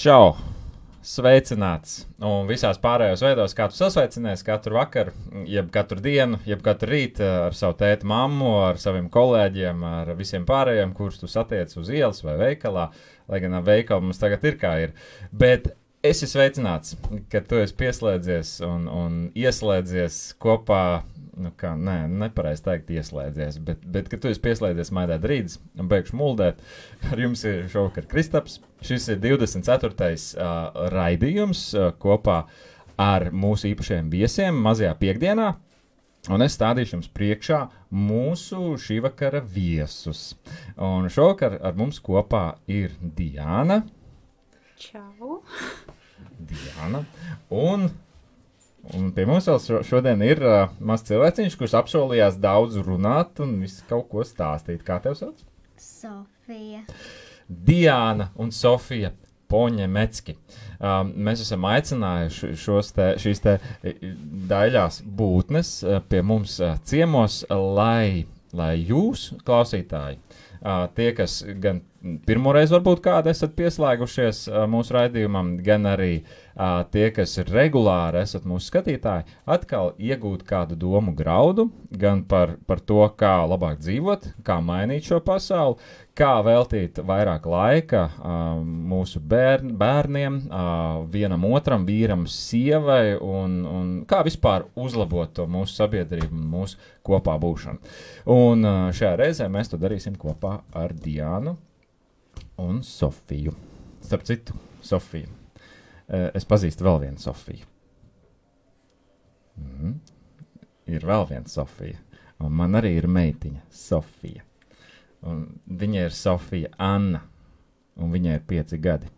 Čau! Sveicināts! Un visās pārējos veidos, kā tu sasveicinies katru vakaru, jeb katru dienu, jeb katru rītu ar savu tēti mammu, ar saviem kolēģiem, ar visiem pārējiem, kurus tu satiec uz ielas vai veikalā, lai gan veikali mums tagad ir kā ir. Bet esi sveicināts, ka tu esi pieslēdzies un ieslēdzies kopā, nepareizi teikt ieslēdzies, bet ka tu esi pieslēdzies Maidēt Rīdis un beigšu muldēt. Ar jums ir šovakar Kristaps. Šis ir 24. Raidījums kopā ar mūsu īpašajiem viesiem mazajā piekdienā. Un es stādīšu jums priekšā mūsu šī vakara viesus. Un šovakar ar mums kopā ir Diana. Čau! Diana. Un pie mums vēl šodien ir mazs cilvēciņš, kurš apsolījās daudz runāt un visu kaut ko stāstīt. Kā tev sauc? Sofija. Diana un Sofija Poņemecki. Mēs esam aicinājuši šīs daļās būtnes pie mums ciemos, lai jūs, klausītāji, tie, kas gan pirmoreiz varbūt kādi esat pieslēgušies mūsu raidījumam, gan arī tie, kas regulāri esat mūsu skatītāji, atkal iegūt kādu domu graudu, gan par to, kā labāk dzīvot, kā mainīt šo pasauli, kā veltīt vairāk laika mūsu bērniem, vienam otram, vīram, sievai, un kā vispār uzlabot to mūsu sabiedrību un mūsu kopā būšanu. Un šajā reizē mēs to darīsim kopā ar Diānu un Sofiju. Starp citu, Sofiju. Es pazīstu vēl vienu Sofiju. Ir vēl viena Sofija. Un man arī ir meitiņa Sofija. Un viņa ir Sofija Anna. Un viņai ir 5 gadi.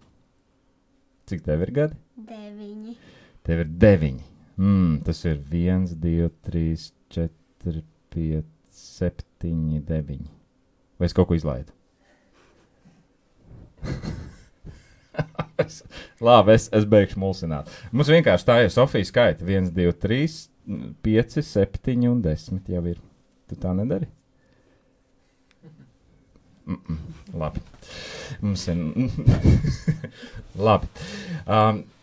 Cik tev ir gadi? 9. Tev ir 9. Tas ir 1, 2, 3, 4, 5, 7, 9. Vai es kaut ko izlaidu? Labi, es beigšu mulsināt. Mums vienkārši tā ir Sofija skaita. 1, 2, 3, 5, 7 un 10 jau ir. Tu tā nedari? Labi. Mums ir... Labi.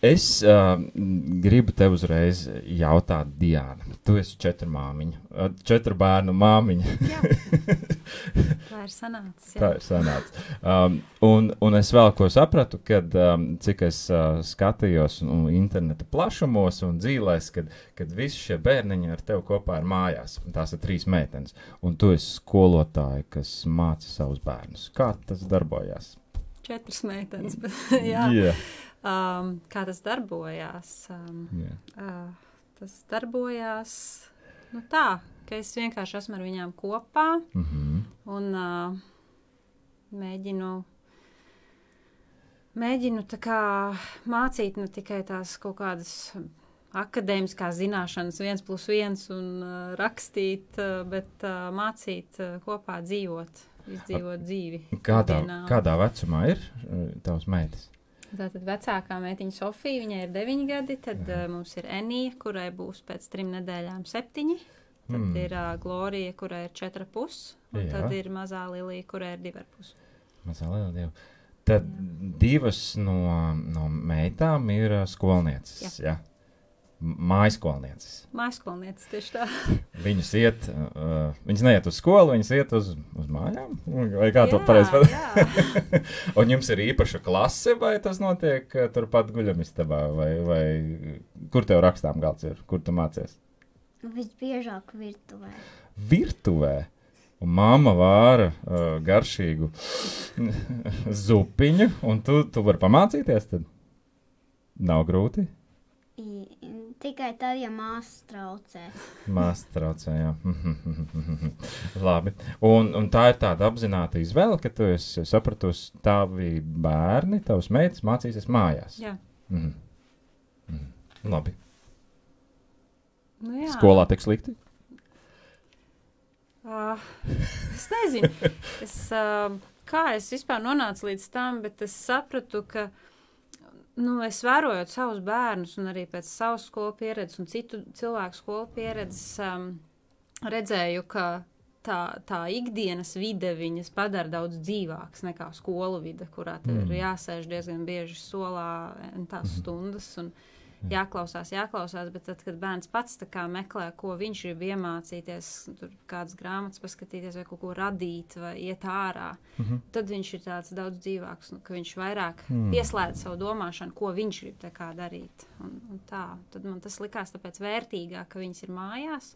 Es gribu tev uzreiz jautāt, Diana. Tu esi 4 māmiņa. 4 bērnu māmiņa. Tā ir sanācis. Tā ir sanācis. Un es vēl ko sapratu, kad cik es skatījos interneta plašumos un dzīvēs, kad visi šie bērniņi ar tevi kopā ir mājās. Tās ir 3 meitenes. Un tu esi skolotāja, kas māca savus bērnus. Kā tas darbojās? 4 meitenes, bet jā. Yeah. Kā tas darbojās? Tas darbojās tā, ka es vienkārši esmu ar viņām kopā un mēģinu tā kā mācīt ne tikai tās kaut kādas akadēmiskās zināšanas 1+1 un rakstīt, bet mācīt kopā dzīvot, izdzīvot dzīvi. Kādā vecumā ir tavs meitas? Tātad vecākā meitiņa Sofija, viņai ir 9 gadi, tad mums ir Enija, kurai būs pēc 3 nedēļām 7, tad ir Glorija, kurai ir 4,5, un tad ir mazā Lilija, kurai ir 2,5. Mazā Lilija. Tad 2 no meitām ir skolnieces, jā? Mājaskolnieces. Mājaskolnieces, tieši tā. Viņas neiet uz skolu, viņas iet uz mājām? Vai kā to pareizi pateikt? Jā. Un jums ir īpaša klase, vai tas notiek turpat guļamistabā? Vai kur tev rakstām galds ir? Kur tu mācies? Visbiežāk virtuvē. Virtuvē? Un mamma vāra garšīgu zupiņu, un tu vari pamācīties tad? Nav grūti? Tikai tad, ja māsas traucē. Māsas traucē, jā. Labi. Un tā ir tāda apzināta izvēle, ka tu esi sapratusi, tavi bērni, tavas meitas mācīsies mājās. Jā. Labi. Nu, jā. Skolā tik slikti? Es nezinu. Kā es vispār nonācu līdz tam, bet es sapratu, ka es vērojot savus bērnus un arī pēc savas skolu pieredzes un citu cilvēku skolu pieredzes redzēju, ka tā ikdienas vide viņas padara daudz dzīvāks nekā skolu vide, kurā tev ir jāsēž diezgan bieži solā tās stundas un jāklausās, bet tad, kad bērns pats tā kā meklē, ko viņš grib iemācīties, tur kādas grāmatas paskatīties vai kaut ko radīt vai iet ārā, tad viņš ir tāds daudz dzīvāks, ka viņš vairāk pieslēdz savu domāšanu, ko viņš grib tā kā darīt. Un tā, tad man tas likās tāpēc vērtīgāk, ka viņas ir mājās,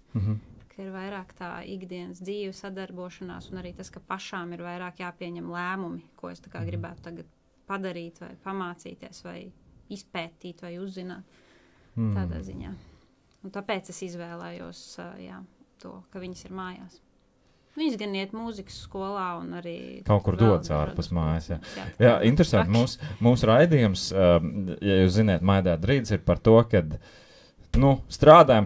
ka ir vairāk tā ikdienas dzīve sadarbošanās un arī tas, ka pašām ir vairāk jāpieņem lēmumi, ko es tā kā gribētu tagad padarīt vai pamācīties vai izpētīt vai uzzināt tādā ziņā. Un tāpēc es izvēlējos to, ka viņas ir mājās. Viņas gan iet mūzikas skolā un arī kaut kur dodas ārpus mājas. Jā, interesanti. Mūsu raidījums, ja jūs ziniet, Maidēt Rīts ir par to, kad strādājam,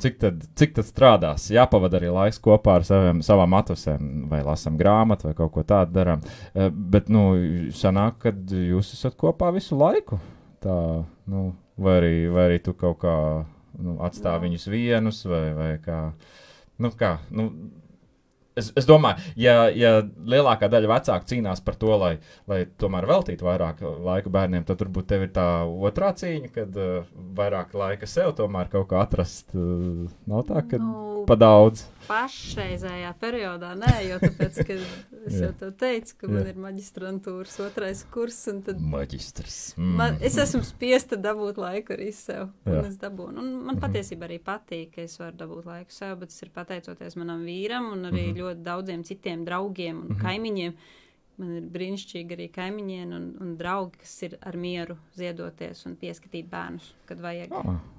cik tad strādās. Jāpavada arī laiks kopā ar savām atvasēm, vai lasam grāmatu, vai kaut ko tādu darām. Bet, sanāk, kad jūs esat kopā visu laiku. Tā, vai arī tu kaut kā atstāvi viņus vienus, vai kā. Es domāju, ja lielākā daļa vecāku cīnās par to, lai tomēr veltītu vairāk laika bērniem, tad turbūt tev ir tā otrā cīņa, kad vairāk laika sev tomēr kaut kā atrast. Nav tā, ka pa daudz. Pašreizējā periodā nē, jo tāpēc, ka es jau tev teicu, ka man ir maģistrantūras 2. kurs, un tad Maģistrs. Es esmu spiesta dabūt laiku arī sev, un es dabūnu. Un man patiesībā arī patīk, ka es varu dabūt laiku sev, bet tas ir pateicoties manam vīram un arī ļoti daudziem citiem draugiem un kaimiņiem. Man ir brīnišķīgi arī kaimiņieni un draugi, kas ir ar mieru ziedoties un pieskatīt bērnus, kad vajag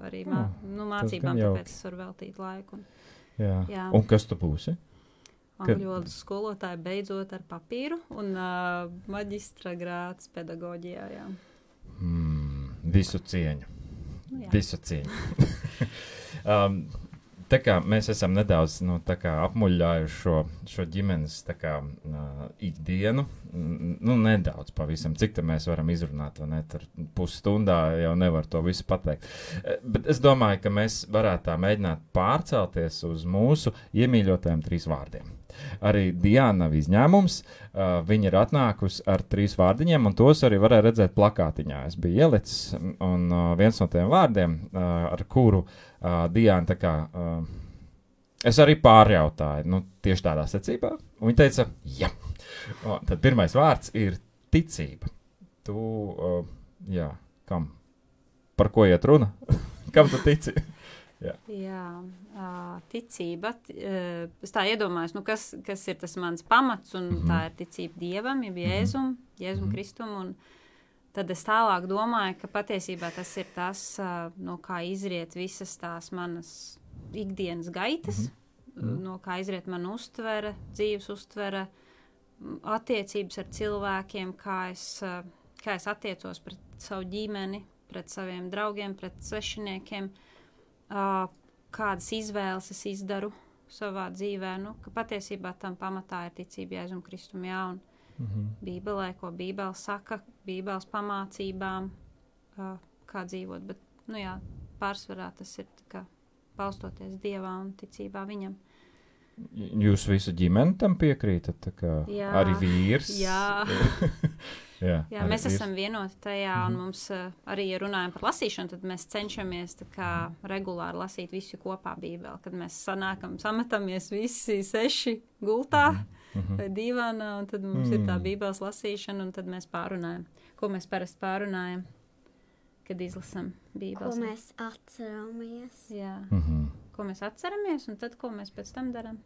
arī mācībām, tāpēc es varu veltīt laiku. Jā. Un kas tu būsi? Angļu valodas skolotāja beidzot ar papīru un maģistra grāds pedagoģijā, jā. Visu cieņu. Visu cieņu. Tā kā mēs esam nedaudz apmuļļājuši šo ģimenes ikdienu, nedaudz pavisam, cik te mēs varam izrunāt, vai ne, tur pusstundā jau nevar to visu pateikt. Bet es domāju, ka mēs varētu tā mēģināt pārcelties uz mūsu iemīļotajiem 3 vārdiem. Arī Diana nav izņēmums, viņa ir atnākusi ar 3 vārdiņiem, un tos arī varēja redzēt plakātiņā. Es biju ielicis, un viens no tiem vārdiem, ar kuru Diana es arī pārjautāju, tieši tādā secībā, un viņa teica, jā. Tad pirmais vārds ir ticība. Kam? Par ko iet runa? Kam tu tici? Jā, ticība. Es tā iedomājos, kas ir tas mans pamats, un tā ir ticība Dievam, Jēzum Kristum, un tad es tālāk domāju, ka patiesībā tas ir tas, no kā izriet visas tās manas ikdienas gaitas, no kā izriet mana uztvere, dzīves uztvere, attiecības ar cilvēkiem, kā es attiecos pret savu ģimeni, pret saviem draugiem, pret svešiniekiem, kādas izvēles es izdaru savā dzīvē, ka patiesībā tam pamatā ir ticība Jēzum Kristum, un Bībelē, ko Bībele saka, Bībeles pamācībām, kā dzīvot, bet, pārsvarā tas ir kā balstoties Dievā un ticībā viņam. Jūs visu ģimeni tam piekrītat, arī vīrs? Jā. Jā, mēs vīrs. Esam vienoti tajā, un mums arī, ja runājam par lasīšanu, tad mēs cenšamies regulāri lasīt visu kopā Bībeli, kad mēs sametamies visi 6 gultā vai divānā, un tad mums ir tā Bībeles lasīšana, un tad mēs pārunājam. Ko mēs parasti pārunājam, kad izlasam Bībeles? Ko mēs atceramies. Jā. Ko mēs atceramies, un tad, ko mēs pēc tam darām?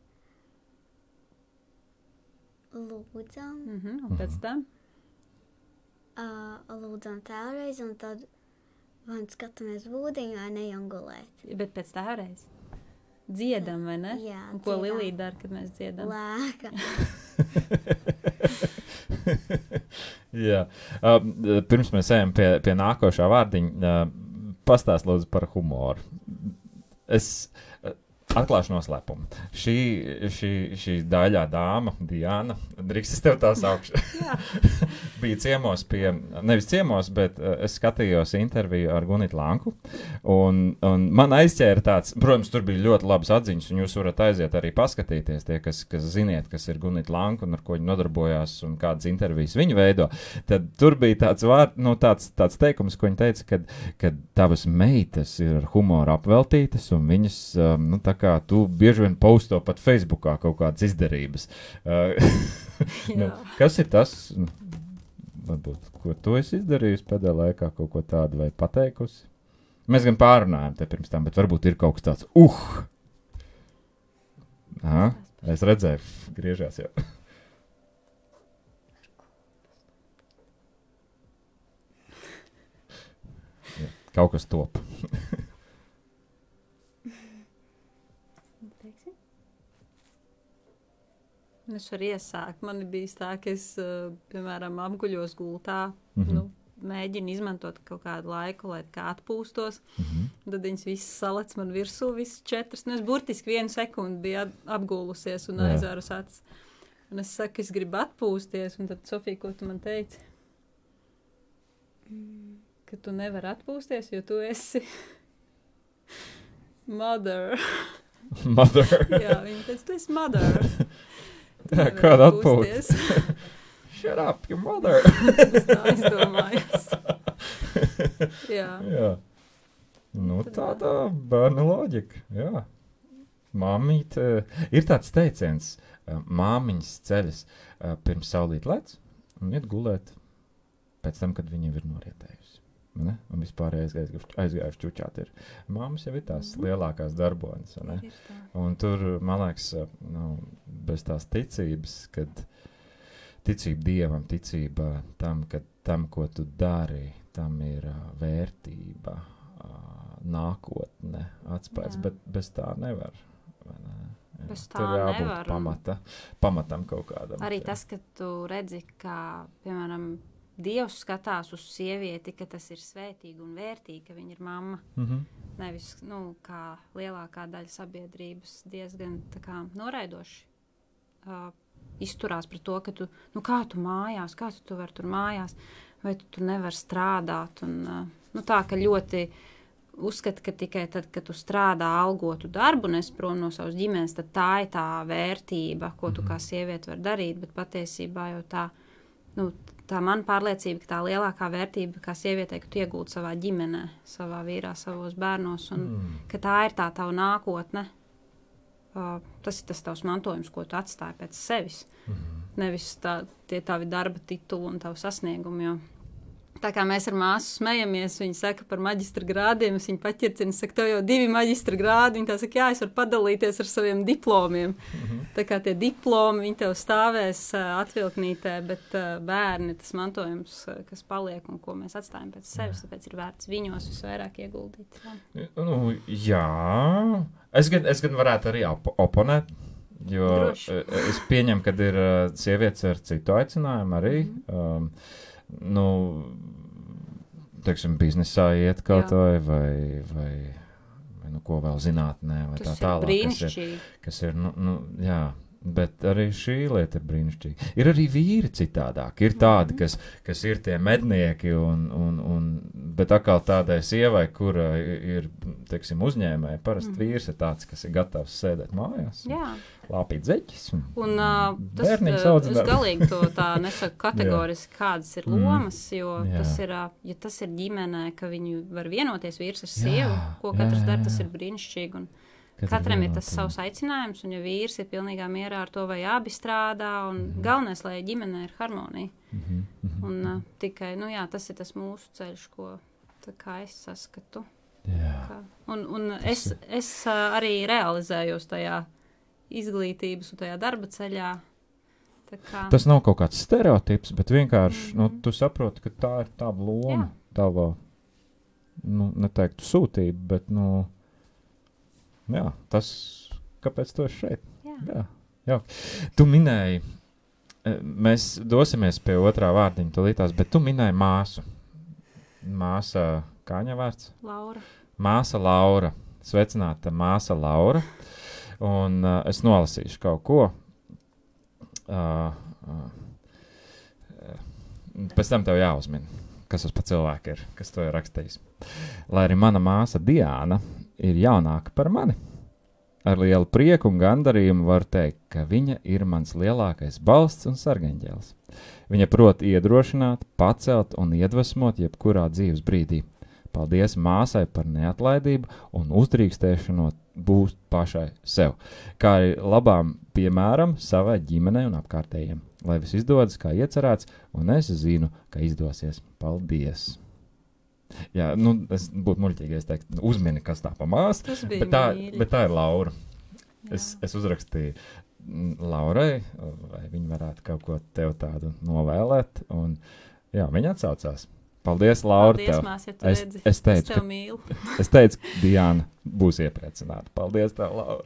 Lūdzam. Un pēc tam? Lūdzam tēvreiz, un tad vai skatāmies būdiņu, vai nejam gulēt. Bet pēc tēvreiz? Dziedam, vai ne? Jā, un ko Lilija dara, kad mēs dziedam? Lēka. Jā. Pirms mēs ejam pie nākošā vārdiņa, pastāst lūdzu par humoru. Atklāšu noslēpumu. Šī daļā dāma, Diana, drīkst es tev tā saukšu, bija ciemos nevis ciemos, bet es skatījos interviju ar Gunitu Lanku, un man aizķēra tāds, protams, tur bija ļoti labas atziņas, un jūs varat aiziet arī paskatīties tie, kas ziniet, kas ir Gunita Lanka un ar ko viņi nodarbojās un kādas intervijas viņi veido, tad tur bija tāds teikums, ko viņi teica, kad tavas meitas ir ar humoru apveltītas, un viņas, tā kā tu bieži vien posto pat Facebookā kaut kādas izdarības. Kas ir tas, varbūt, ko tu esi izdarījusi pēdējā laikā, kaut ko tādu vai pateikusi? Mēs gan pārunājam te pirms tam, bet varbūt ir kaut kas tāds, Aha, es redzēju, griežās jau. Kaut kas top. Es varu iesākt. Man bija tā, ka es, piemēram, apguļos gultā, mēģinu izmantot kaut kādu laiku, lai kā atpūstos. Tad viņas visas salec man virsū, visas 4. Es burtiski 1 sekundi biju apgūlusies un aizvērus acis. Un es saku, es gribu atpūsties. Un tad, Sofija, ko tu man teici? Ka tu nevari atpūsties, jo tu esi mother. Mother? Jā, viņa teica, tu esi mother. Kāda atpūtas? Shut up, your mother! Es tā izdomājos. Jā. Nu, tāda bērna loģika, jā. Māmīte, ir tāds teiciens, māmiņas ceļas pirms saulīt lec un iet gulēt pēc tam, kad viņa ir norietējusi. Ne? Un vispār aizgājuši čučāt ir. Māmas jau ir tās lielākās darbonis. Un tur, man liekas, bez tās ticības, kad ticība Dievam, ticība tam, ka tam, ko tu dari, tam ir vērtība, nākotne, atspējas, bet bez tā nevar. Bez tā tur jābūt nevar. Pamatam kaut kādam. Arī tas, ka tu redzi, kā, piemēram, Dievs skatās uz sievieti, ka tas ir svētīgi un vērtīgi, ka viņa ir mamma. Nevis, kā lielākā daļa sabiedrības diezgan tā kā noraidoši izturās pret to, ka tu, kā tu mājās, kā tu vari tur mājās, vai tu nevari strādāt. Un, tā, ka ļoti uzskata, ka tikai tad, kad tu strādā algotu darbu un esi prom no savas ģimenes, tad tā ir tā vērtība, ko tu kā sieviete var darīt, bet patiesībā jau tā man pārliecība, ka tā lielākā vērtība kā sievietei, ka tu iegūti savā ģimenē, savā vīrā, savos bērnos, un ka tā ir tā tava nākotne. Tas ir tas tavs mantojums, ko tu atstāji pēc sevis. Nevis tie tavi darba tituli un tavu sasniegumi, jo tā kā mēs ar māsu smejamies, viņa saka par maģistra grādiem, es viņu paķircinu, saka, tev jau 2 maģistra grādi, viņa tā saka, jā, es varu padalīties ar saviem diplomiem. Tā kā tie diplomi, viņi tev stāvēs atvilknītē, bet bērni, tas mantojums, kas paliek un ko mēs atstājam pēc sevis, tāpēc ir vērts viņos visvairāk ieguldīt. Jā. Es gan varētu arī oponēt, jo es pieņemu, kad ir sievietes ar citu aicinājumu arī, teiksim, biznesā iet kaut vai ko vēl zinātnē, vai tas tā tālāk, kas ir, jā, bet arī šī lieta ir brīnišķīga. Ir arī vīri citādāk, ir tādi, kas ir tie mednieki, bet atkal tādai sievai, kura ir, teiksim, uzņēmēji, parasti vīrs ir tāds, kas ir gatavs sēdēt mājās. Jā. Lāpīt zeķis. Un es galīgi to tā nesaku kategoriski, kādas ir lomas, jo tas ir ģimenē, ka viņi var vienoties vīrs ar sievu, ko katrs dara, tas ir brīnišķīgi. Un katram ir tas savs aicinājums, un ja vīrs ir pilnīgā mierā ar to, vai abi strādā, un galvenais, lai ģimenē ir harmonija. Un tikai, tas ir tas mūsu ceļš, ko tā kā es saskatu. Un es arī realizējos tajā izglītības un tajā darba ceļā. Tas nav kaut kāds stereotips, bet vienkārši, tu saproti, ka tā ir tava loma, tava, neteiktu sūtība, bet, tas, kāpēc tu esi šeit. Jā. Tu minēji, mēs dosimies pie otrā vārdiņa tulītās, bet tu minēji māsu. Māsa, kā viņa vārds? Laura. Māsa Laura. Sveicināta māsa Laura. Un es nolasīšu kaut ko. Pēc tam tev jāuzmina, kas tas pa cilvēku ir, kas to ir rakstījis. Lai arī mana māsa Diāna ir jaunāka par mani, ar lielu prieku un gandarījumu var teikt, ka viņa ir mans lielākais balsts un sargaņģēlis. Viņa prot iedrošināt, pacelt un iedvesmot jebkurā dzīves brīdī. Paldies māsai par neatlaidību un uzdrīkstēšanos būt pašai sev, kā arī labām piemēram savai ģimenei un apkārtējiem. Lai viss izdodas, kā iecerēts, un es zinu, ka izdosies. Paldies! Jā, es būtu muļķīgi, es teiktu, uzmini, kas tā pa māsu, bet tā ir Laura. Es uzrakstīju Laurai, vai viņa varētu kaut ko tev tādu novēlēt, un jā, viņa atsaucās. Paldies, Laura. Paldies, mās, ja tu redzi. Es teicu, tev mīlu. Es teicu, ka Diāna būs iepriecināta. Paldies tev, Laura.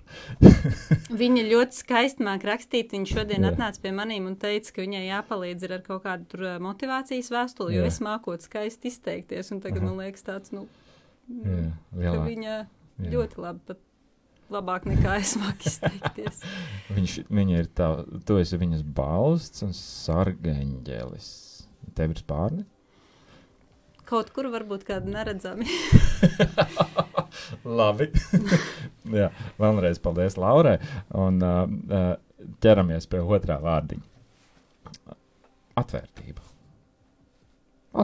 Viņa ļoti skaisti māk rakstīt. Viņa šodien atnāca pie manīm un teica, ka viņai jāpalīdz ar kaut kādu tur motivācijas vēstuli, jo es mākot skaisti izteikties. Un tagad man liekas tāds, ka viņa ļoti labi, pat labāk nekā es māku izteikties. Viņa ir tā, tu esi viņas balsts un sargaņģēlis. Tev ir spārni? Kaut kur varbūt kādu neredzami. Labi. Jā, vēlreiz paldies Laurai. Un ķeramies pie otrā vārdiņa. Atvērtība.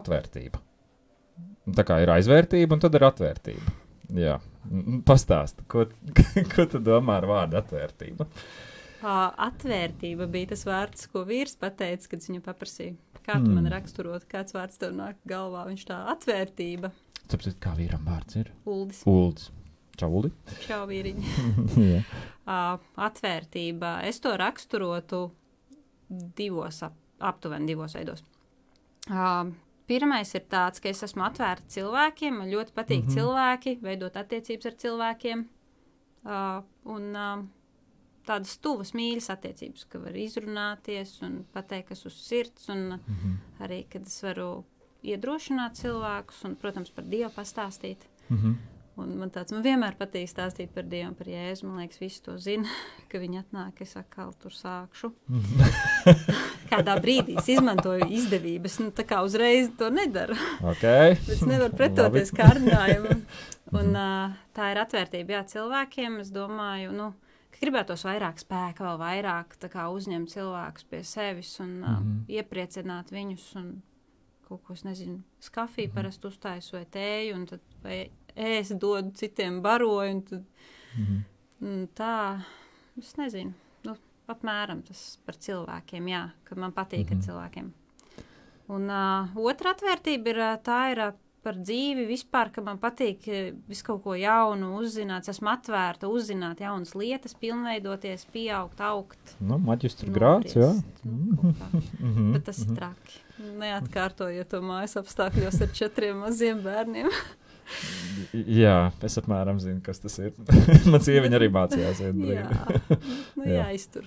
Atvērtība. Tā kā ir aizvērtība, un tad ir atvērtība. Jā. Pastāsti, ko tu domā ar vārdu atvērtība? Atvērtība bija tas vārds, ko vīrs pateica, kad viņu paprasīja. Kā tu man raksturot, kāds vārds tev nāk galvā? Viņš tā atvērtība. Tāpēc, kā vīram vārds ir? Uldis. Uldis. Čau, Uldi. Čau, vīriņi. Atvērtība. Es to raksturotu aptuveni divos veidos. Pirmais ir tāds, ka es esmu atvērta cilvēkiem, man ļoti patīk cilvēki, veidot attiecības ar cilvēkiem. Tādas tuvas mīļas attiecības, ka var izrunāties un pateikt, kas uz sirds, un arī, kad es varu iedrošināt cilvēkus un, protams, par Dievu pastāstīt. Un man vienmēr patīk stāstīt par Dievu un par Jēzu. Man liekas, visi to zina, ka viņi atnāk, es atkal tur sākšu. Kādā brīdī es izmantoju izdevības, tā kā uzreiz to nedaru. Okay. Es nevaru pretoties kārdinājumu. Un tā ir atvērtība, jā, cilvēkiem. Es domāju, ka gribētos vairāk spēka, vēl vairāk tā kā uzņemt cilvēkus pie sevis un iepriecināt viņus un kaut ko, es nezinu, skafiju parasti uztaisu vai tēju, un tad vai es dodu citiem baroju, un tad tā, es nezinu, apmēram tas par cilvēkiem, jā, ka man patīk ar cilvēkiem. Un otra atvērtība ir par dzīvi vispār, ka man patīk visu kaut ko jaunu uzzināt, esmu atvērta uzzināt jaunas lietas, pilnveidoties, pieaugt, augt. Maģistra grāds, jā. Bet tas ir traki. Neatkārtojiet to mājas apstākļos ar 4 maziem bērniem. Jā, es apmēram zinu, kas tas ir. Man sieviņa arī mācījās. Jāiztur.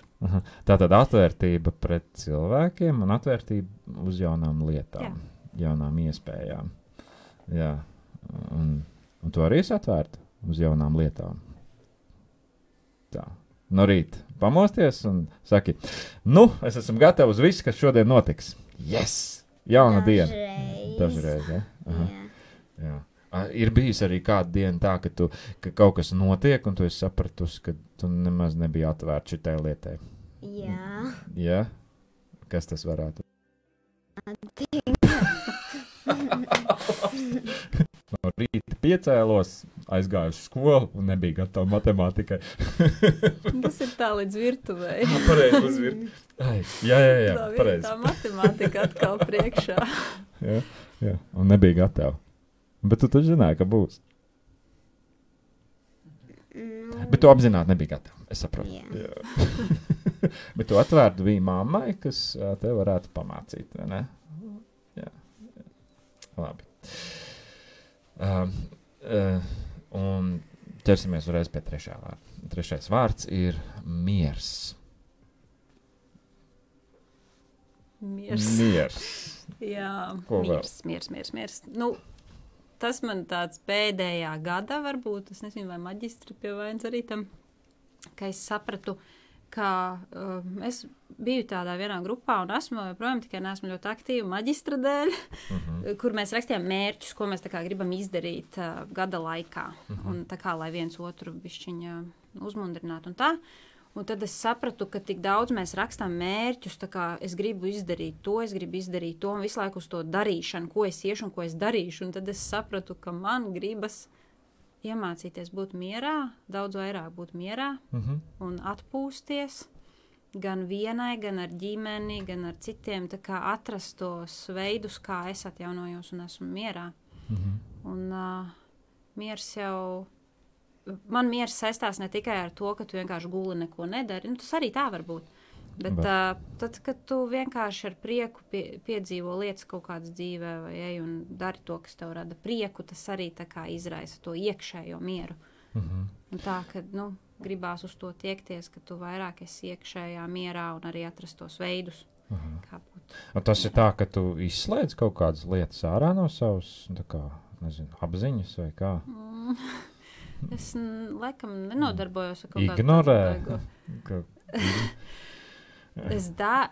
Tātad atvērtība pret cilvēkiem un atvērtība uz jaunām lietām, jaunām iespējām. Jā, un tu arī esi atvērta uz jaunām lietām. Tā, no rīta pamosties un saki, es esmu gatava uz visu, kas šodien notiks. Yes! Jauna diena. Dažreiz, ja? Jā. Ir bijis arī kāda diena tā, ka kaut kas notiek, un tu esi sapratusi, ka tu nemaz nebija atvērta šitai lietai. Jā. Jā? Kas tas varētu? No rīta piecēlos, aizgāju uz skolu un nebija gatava matemātikai. Tas ir tā līdz virtuvei. Pareizi uz virtuvei. Jā, pareizi. Tā matemātika atkal priekšā. Jā, un nebija gatava. Bet tu taču zināji, ka būs. Bet tu apzināti nebija gatava, es saprotu. Jā. Bet tu atvērtu bija mammai, kas tev varētu pamācīt, vai ne? Jā. Labi. Un ķersimies uzreiz pie trešā vārda. Trešais vārds ir miers. Miers. Miers. Jā, Ko miers. tas man tāds pēdējā gada varbūt, es nezinu, vai maģistri pie vainas arī tam, ka es sapratu, ka es biju tādā vienā grupā un esmu joprojām, tikai neesmu ļoti aktīva maģistra dēļ, kur mēs rakstījām mērķus, ko mēs tā kā gribam izdarīt gada laikā. Un tā kā, lai viens otru bišķiņa uzmundrinātu un tā. Un tad es sapratu, ka tik daudz mēs rakstām mērķus, tā kā es gribu izdarīt to, un visu laiku uz to darīšanu, ko es iešu un ko es darīšu. Un tad es sapratu, ka man gribas iemācīties būt mierā, daudz vairāk būt mierā un atpūsties gan vienai, gan ar ģimeni, gan ar citiem, tā kā atrast tos veidus, kā es atjaunojos un esmu mierā. Un miers jau... Man miers saistās ne tikai ar to, ka tu vienkārši guli neko nedari. Nu, tas arī tā var būt. Bet tad, kad tu vienkārši ar prieku piedzīvo lietas kaut kādas dzīvē vai ej un dari to, kas tev rada prieku, tas arī tā kā izraisa to iekšējo mieru. Un tā, ka, gribās uz to tiekties, ka tu vairāk esi iekšējā mierā un arī atrast tos veidus, kā būt. Un tas ir tā, ka tu izslēdz kaut kādas lietas ārā no savas, tā kā, nezinu, apziņas vai kā? Es laikam nenodarbojos ar kaut kādu ignorē.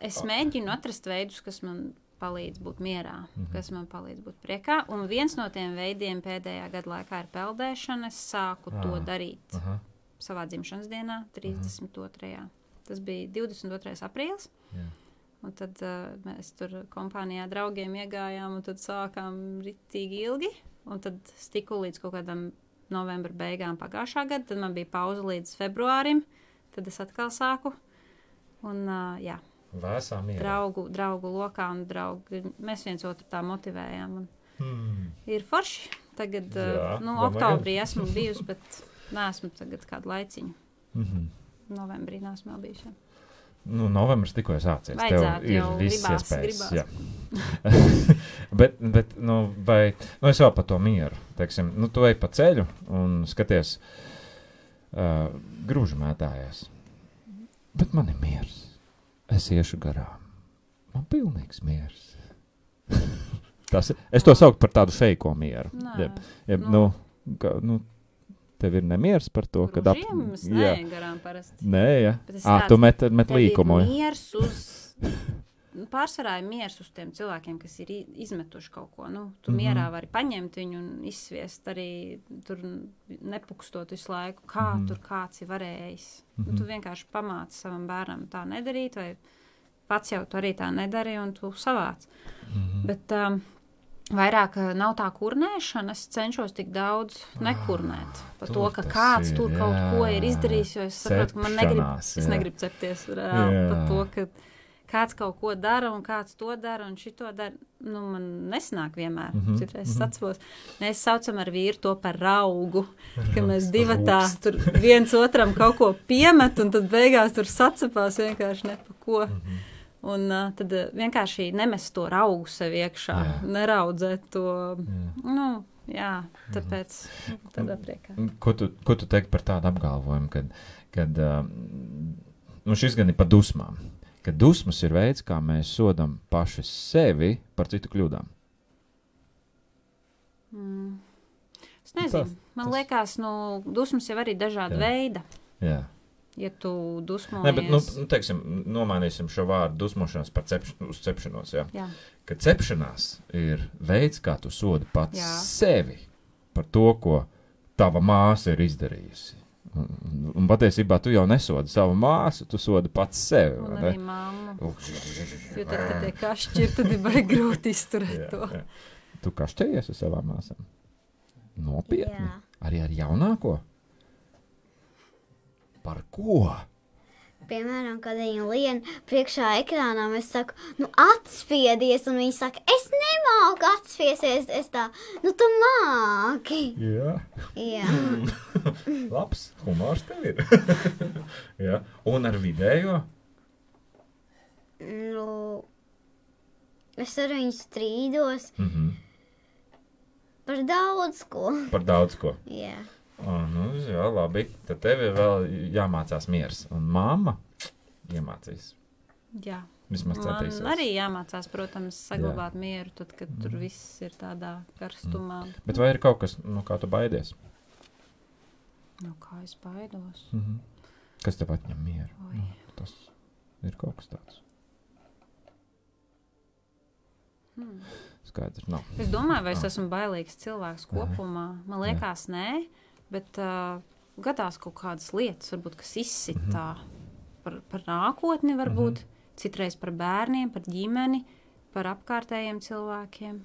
Es mēģinu atrast veidus, kas man palīdz būt mierā, kas man palīdz būt priekā. Un viens no tiem veidiem pēdējā gada laikā ir peldēšana. Es sāku to darīt savā dzimšanas dienā, 32. Tas bija 22. aprīlis. Un tad mēs tur kompānijā draugiem iegājām un tad sākām ritīgi ilgi. Un tad es tiku līdz kaut kādam novembra beigām pagājušā gada, tad man bija pauze līdz februārim, tad es atkal sāku. Un, jā, Vēsā mierā. draugu lokā un mēs viens otru tā motivējām. Un ir forši. Tagad, oktobrī esmu bijusi, bet neesmu tagad kādu laiciņu. Novembrī neesmu vēl bijusi. Novembris tikko sācies. Vajadzētu, tev ir jau viss iespējas. Gribās. bet es vēl par to mieru. Teiksim, tu ej pa ceļu un skaties grūžamētājās. Bet man ir miers. Es iešu garām. Man pilnīgs miers. Es to saucu par tādu feiko mieru. Tev ir nemiers par to, ka... Gružiem garām parasti. Nē, ja. Tu met līkumu. Tev ir miers uz... Pārsvarā ir miers uz tiem cilvēkiem, kas ir izmetuši kaut ko. Tu mierā vari paņemt viņu un izsviest arī tur nepukstot visu laiku, kā tur kāds ir varējis. Tu vienkārši pamāci savam bērnam tā nedarīt, vai pats jau tu arī tā nedari un tu savāc. Bet... Vairāk nav tā kurnēšana, es cenšos tik daudz nekurnēt. Par to, ka kāds tur kaut ko ir izdarījis, jo es saprotu, ka man negribu cepties reāli par to, ka kāds kaut ko dara un kāds to dara un šito dara. Man nesanāk vienmēr. Citreiz es atceros. Mēs saucam ar vīru to par raugu, ka mēs divatā tur viens otram kaut ko piemet un tad beigās tur sacepās vienkārši ne pa ko. Un tad vienkārši nemest to raugu sev iekšā, neraudzēt to, tāpēc tādā priekā. Ko tu teiksi par tādu apgalvojumu, kad šis gan ir par dusmām, ka dusmas ir veids, kā mēs sodam paši sevi par citu kļūdām? Es nezinu, man liekas, dusmas jau arī dažāda veida. Jā. Ja tu dusmojies... Nē, bet, teiksim, nomainīsim šo vārdu dusmošanās par uz cepšanos, jā. Ka cepšanās ir veids, kā tu sodi pats sevi par to, ko tava māsa ir izdarījusi. Un patiesībā tu jau nesodi savu māsu, tu sodi pats sevi. Un arī mammu. Jo tad, kad tie kašķi ir, tad ir baigi grūti izturēt to. Jā. Tu kašķējies ar savām māsām? Nopietni? Jā. Arī ar jaunāko? Par ko? Piemēram, kad viņa lien priekšā ekrānā, es saku, atspiedies, un viņa saka, es nemāku atspiesties, es tā, tu māki. Jā. Labs, humors tev ir. Jā. Un ar vidējo? Es ar viņu strīdos. Par daudz ko. Jā. Jā, labi. Tad tev ir vēl jāmācās miers. Un mamma iemācīs. Jā. Vismaz centīsies. Man arī jāmācās, protams, saglabāt mieru, tad, kad tur viss ir tādā karstumā. Bet vai ir kaut kas, no kā tu baidies? No kā es baidos? Kas tev atņem mieru? Oi. Tas ir kaut kas tāds. Skaidrs, nav. Es domāju, vai es esmu bailīgs cilvēks kopumā. Man liekas, nē, bet gadās kaut kādas lietas, varbūt, kas izsitā par nākotni, varbūt. Citreiz par bērniem, par ģimeni, par apkārtējiem cilvēkiem.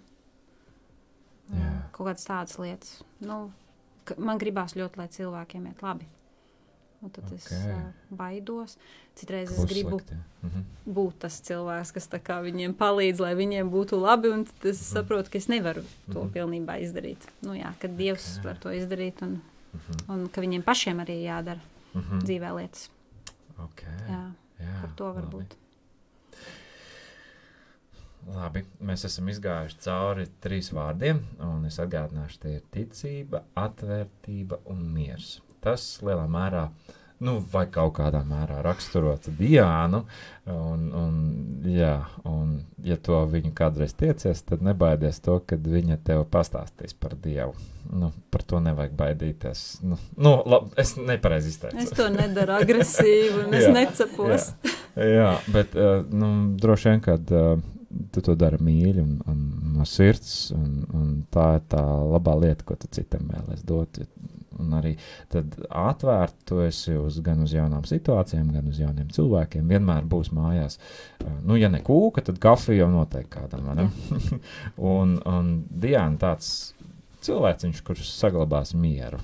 Kaut kādas tādas lietas. Nu, man gribās ļoti, lai cilvēkiem iet labi. Un tad es baidos. Citreiz es gribu būt tas cilvēks, kas tā kā viņiem palīdz, lai viņiem būtu labi, un tad es saprotu, ka es nevaru to pilnībā izdarīt. Nu jā, kad Dievs var to izdarīt, un ka viņiem pašiem arī jādara dzīvē lietas. Jā, par to varbūt. Labi, mēs esam izgājuši cauri 3 vārdiem, un es atgādināšu, tie ir ticība, atvērtība un miers. Tas lielā mērā, vai kaut kādā mērā raksturota Diānu, un ja to viņu kādreiz tiecies, tad nebaidies to, kad viņa tev pastāstīs par Dievu. Par to nevajag baidīties. Labi, es nepareizi izteicu. Es to nedaru agresīvi, un es necepos. Jā, bet droši vien, kad tu to dari mīļi un no sirds, un tā ir tā labā lieta, ko tu citam vēlies dot. Un arī tad atvērt tu esi gan uz jaunām situācijām, gan uz jauniem cilvēkiem. Vienmēr būs mājās. Ja ne kūka, tad kafija jau noteikti kādam. Un Diāna tāds cilvēciņš, kurš saglabās mieru,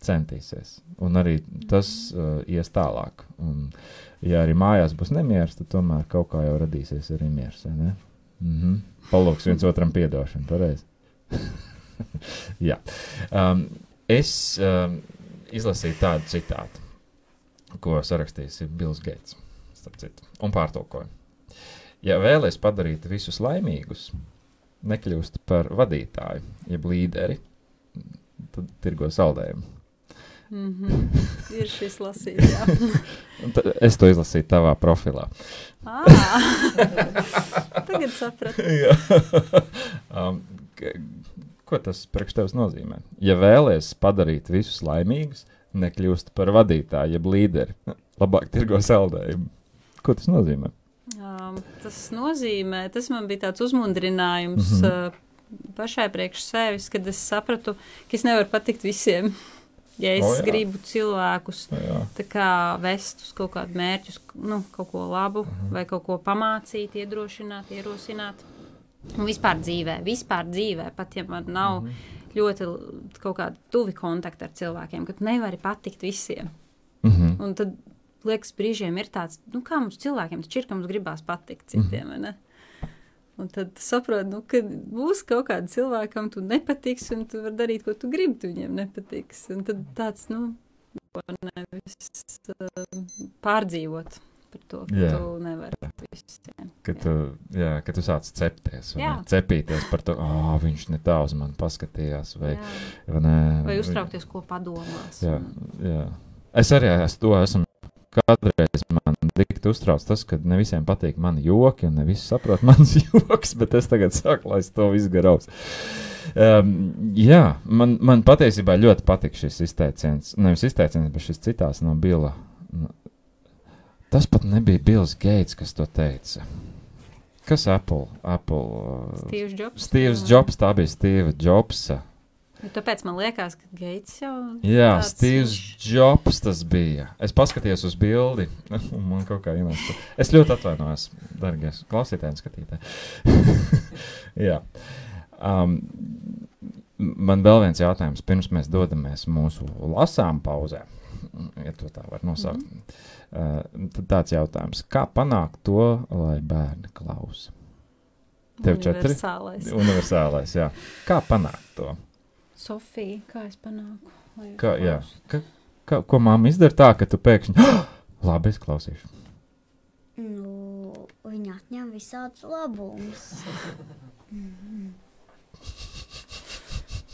centīsies. Un arī tas ies tālāk. Un ja arī mājās būs nemieris, tad tomēr kaut kā jau radīsies arī miers, vai ne? Palūks viens otram piedošanu, pareizi. Jā. Es izlasīju tādu citātu, ko sarakstījis Bills Gates, starp citu, un pārtulkoju. Ja vēlies padarīt visus laimīgus, nekļūst par vadītāju, jeb līderi, tad tirgo saldējumu. Ir šis lasījums, jā. Es to izlasīju tavā profilā. Tagad sapratu. Ko tas priekš tevis nozīmē? Ja vēlies padarīt visus laimīgus, nekļūst par vadītāju, jeb līderi, labāk tirgo saldējumu. Ko tas nozīmē? Tas nozīmē, tas man bija tāds uzmundrinājums pašai priekš sevis, kad es sapratu, ka es nevaru patikt visiem. Ja es gribu cilvēkus tā kā vest uz kaut kādu mērķus, kaut ko labu, vai kaut ko pamācīt, iedrošināt, ierosināt. Un vispār dzīvē, pat ja man nav ļoti kaut kādi tuvi kontakti ar cilvēkiem, ka tu nevari patikt visiem. Un tad, liekas, brīžiem ir tāds, kā mums cilvēkiem, taču ir, ka mums gribās patikt citiem, vai ne? Un tad saprot, ka būs kaut kāda cilvēkam tu nepatiks, un tu var darīt, ko tu gribi, tu viņiem nepatiks. Un tad tāds, nevis pārdzīvot par to, ka tu nevari visiem. Kad tu sāc cepties, vai cepīties par to, viņš ne tā uz mani paskatījās, vai uztraukties, ko padomās. Jā. Es arī esmu kādreiz man tik uztrauc tas, ka ne visiem patīk mani joki, un ne visi saprot manas joks, bet es tagad saku, lai es to visu garaus. Man patiesībā ļoti patīk šis izteiciens, nevis izteiciens, bet šis citāts no Billa. Tas pat nebija Bills Gates, kas to teica. Kas Apple? Steve Jobs. Steve Jobs, tā bija Steve Jobsa. Tāpēc man liekas, ka Gates jau... Jā, Steve Jobs tas bija. Es paskatījos uz bildi, un man kaut kā ienāca. Es ļoti atvainojos, dargies klausītāji un skatītāji. Jā. Man vēl viens jautājums, pirms mēs dodamies mūsu lasām pauzē, ja to tā var nosaukt. Tad tāds jautājums, kā panākt to, lai bērni klausa? Tev 4? Universālais, jā. Kā panākt to? Sofija, kā es panāku? Ko mamma izdara tā, ka tu pēkšņi, labi, es klausīšu. Viņa atņem visādus labumus.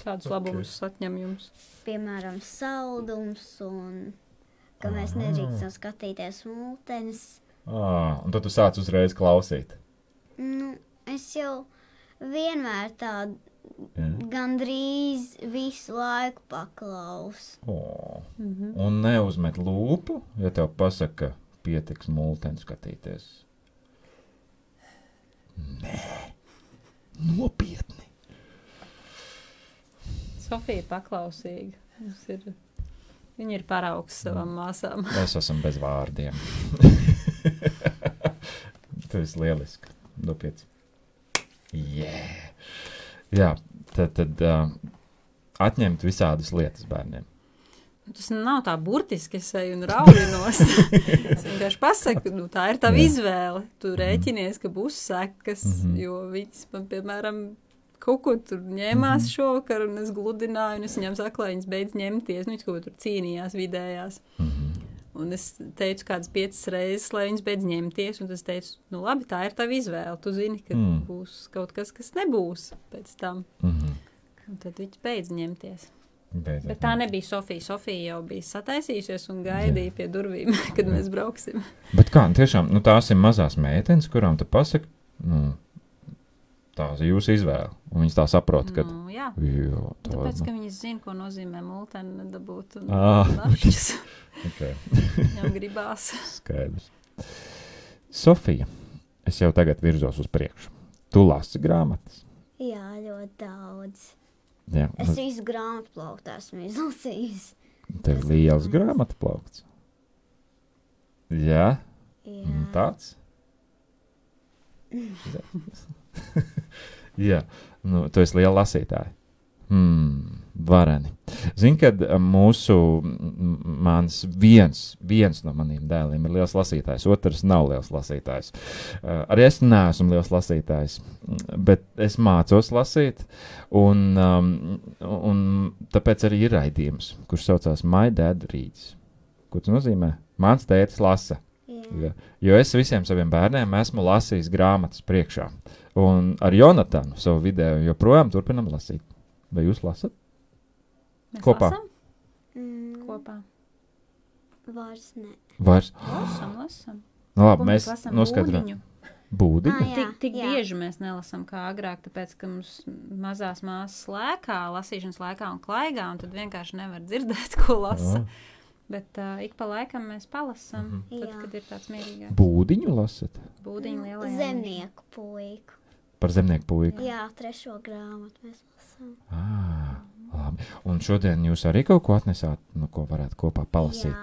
Kādus labumus atņem jums? Piemēram, saldums un ka mēs nedrīkstam skatīties mūtenes Un tad tu sāc uzreiz klausīt. Nu, es jau vienmēr tādu gandrīz visu laiku paklausu. Un neuzmet lūpu, ja tev pasaka, pietiks multeni skatīties. Nē, nopietni. Sofija ir paklausīga. Viņa ir paraugs savām māsām. Es esmu bez vārdiem. Tu esi lieliski. Dopiec. Yeah. Jā, tad atņemt visādas lietas bērniem. Tas nav tā burtiski, es eju un raujinos. Es vienkārši pasaku, tā ir tava izvēle. Tu rēķinies, ka būs sekas, jo viņas man, piemēram, kaut ko tur ņēmās šovakar, un es gludināju, un es viņam saku, lai viņas beidz ņemties. Viņas kaut ko tur cīnījās vidējās. Un es teicu kādas 5 reizes, lai viņas beidz ņemties, un es teicu, labi, tā ir tava izvēle. Tu zini, ka būs kaut kas, kas nebūs pēc tam. Un tad viņas beidz ņemties. Bet tā nebija Sofija. Sofija jau bija sataisījusies un gaidīja pie durvīm, kad mēs brauksim. Bet kā, tiešām, tās ir mazās meitenes, kurām tu pasaki, tās ir jūsu izvēle. Un viņas tā saprot, ka... Jā, tāpēc, ka viņas zina, ko nozīmē multeni nedabūt un našķis. Viņam gribās. Skaidrs. Sofija, es jau tagad virzos uz priekšu. Tu lasi grāmatas? Jā, ļoti daudz. Jā. Es visu grāmatu plauktu esmu izlasījis. Tev liels grāmatu plaukts? Jā? Jā. Tāds? Jā. Tu esi liela lasītāja. Vareni. Zini, kad viens no maniem dēliem ir liels lasītājs, otrs nav liels lasītājs. Arī es neesmu liels lasītājs, bet es mācos lasīt, un tāpēc arī ir raidījums, kurš saucās My Dad Reads. Ko tas nozīmē? Mans tētis lasa. Jā. Jo es visiem saviem bērniem esmu lasījis grāmatas priekšā. Un ar Jonatanu savu video joprojām turpinam lasīt. Vai jūs lasat? Mēs Kopā? Lasam? Kopā. Vairs ne. Vairs? Lasam. Labi, mēs lasam noskaidrojam. Būdiņu? Jā, Tik bieži mēs nelasam kā agrāk, tāpēc, ka mums mazās māsas lēkā, lasīšanas laikā un klaigā, un tad vienkārši nevar dzirdēt, ko lasa. Bet ik pa laikam mēs palasam, tad, kad ir tāds mierīgāks. Būdiņu lasat? Būdiņu lielajā. Zemnieku puiku. Par zemnieku puiku? Jā, 3. grāmatu mēs lasām. Labi. Un šodien jūs arī kaut ko atnesāt, ko varētu kopā palasīt?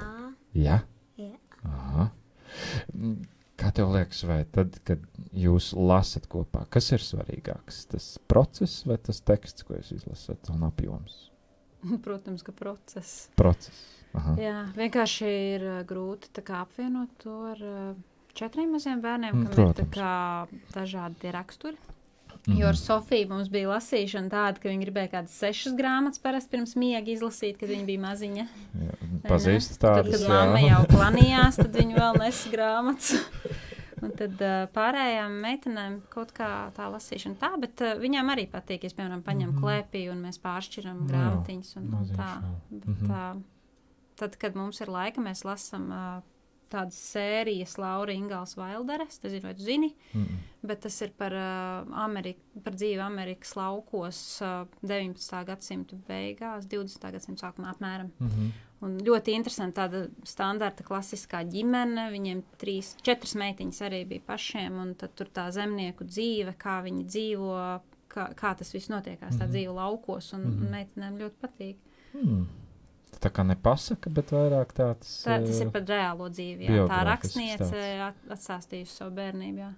Jā? Jā. Aha. Kā tev liekas, vai tad, kad jūs lasat kopā, kas ir svarīgāks? Tas process vai tas teksts, ko jūs izlasat, un apjoms? Protams, ka process. Process. Aha. Jā, vienkārši ir grūti tā kā apvienot to ar 4 maziem bērniem, kam protams. ir tā kā dažādi tie raksturi. Jo ar Sofiju mums bija lasīšana tāda, ka viņa gribēja kādas 6 grāmatas parasti pirms miega izlasīt, kad viņa bija maziņa. Jā, pazīst tādas, tad, kad mamma jau planījās, tad viņa vēl nesa grāmatas. Un tad pārējām meitenēm kaut kā tā lasīšana tā, bet viņām arī patīk, ja es, piemēram, paņem klēpī un mēs pāršķiram grāmatiņas un tā. Bet, tad, kad mums ir laika, mēs lasam tādas sērijas Laura Ingals Vailderes, tas ir, vai tu zini, bet tas ir par dzīvi Amerikas laukos 19. gadsimta beigās, 20. gadsimta sākumā apmēram. Un ļoti interesanti tāda standarta klasiskā ģimene, viņiem 4 meitiņas arī bija pašiem, un tad tur tā zemnieku dzīve, kā viņi dzīvo, kā tas viss notiekās, tā dzīve laukos, un meitenēm ļoti patīk. Tā kā nepasaka, bet vairāk tāds... Tas ir par reālo dzīvi, jā. Tā rakstniece atstāstījusi savu bērnību, jā.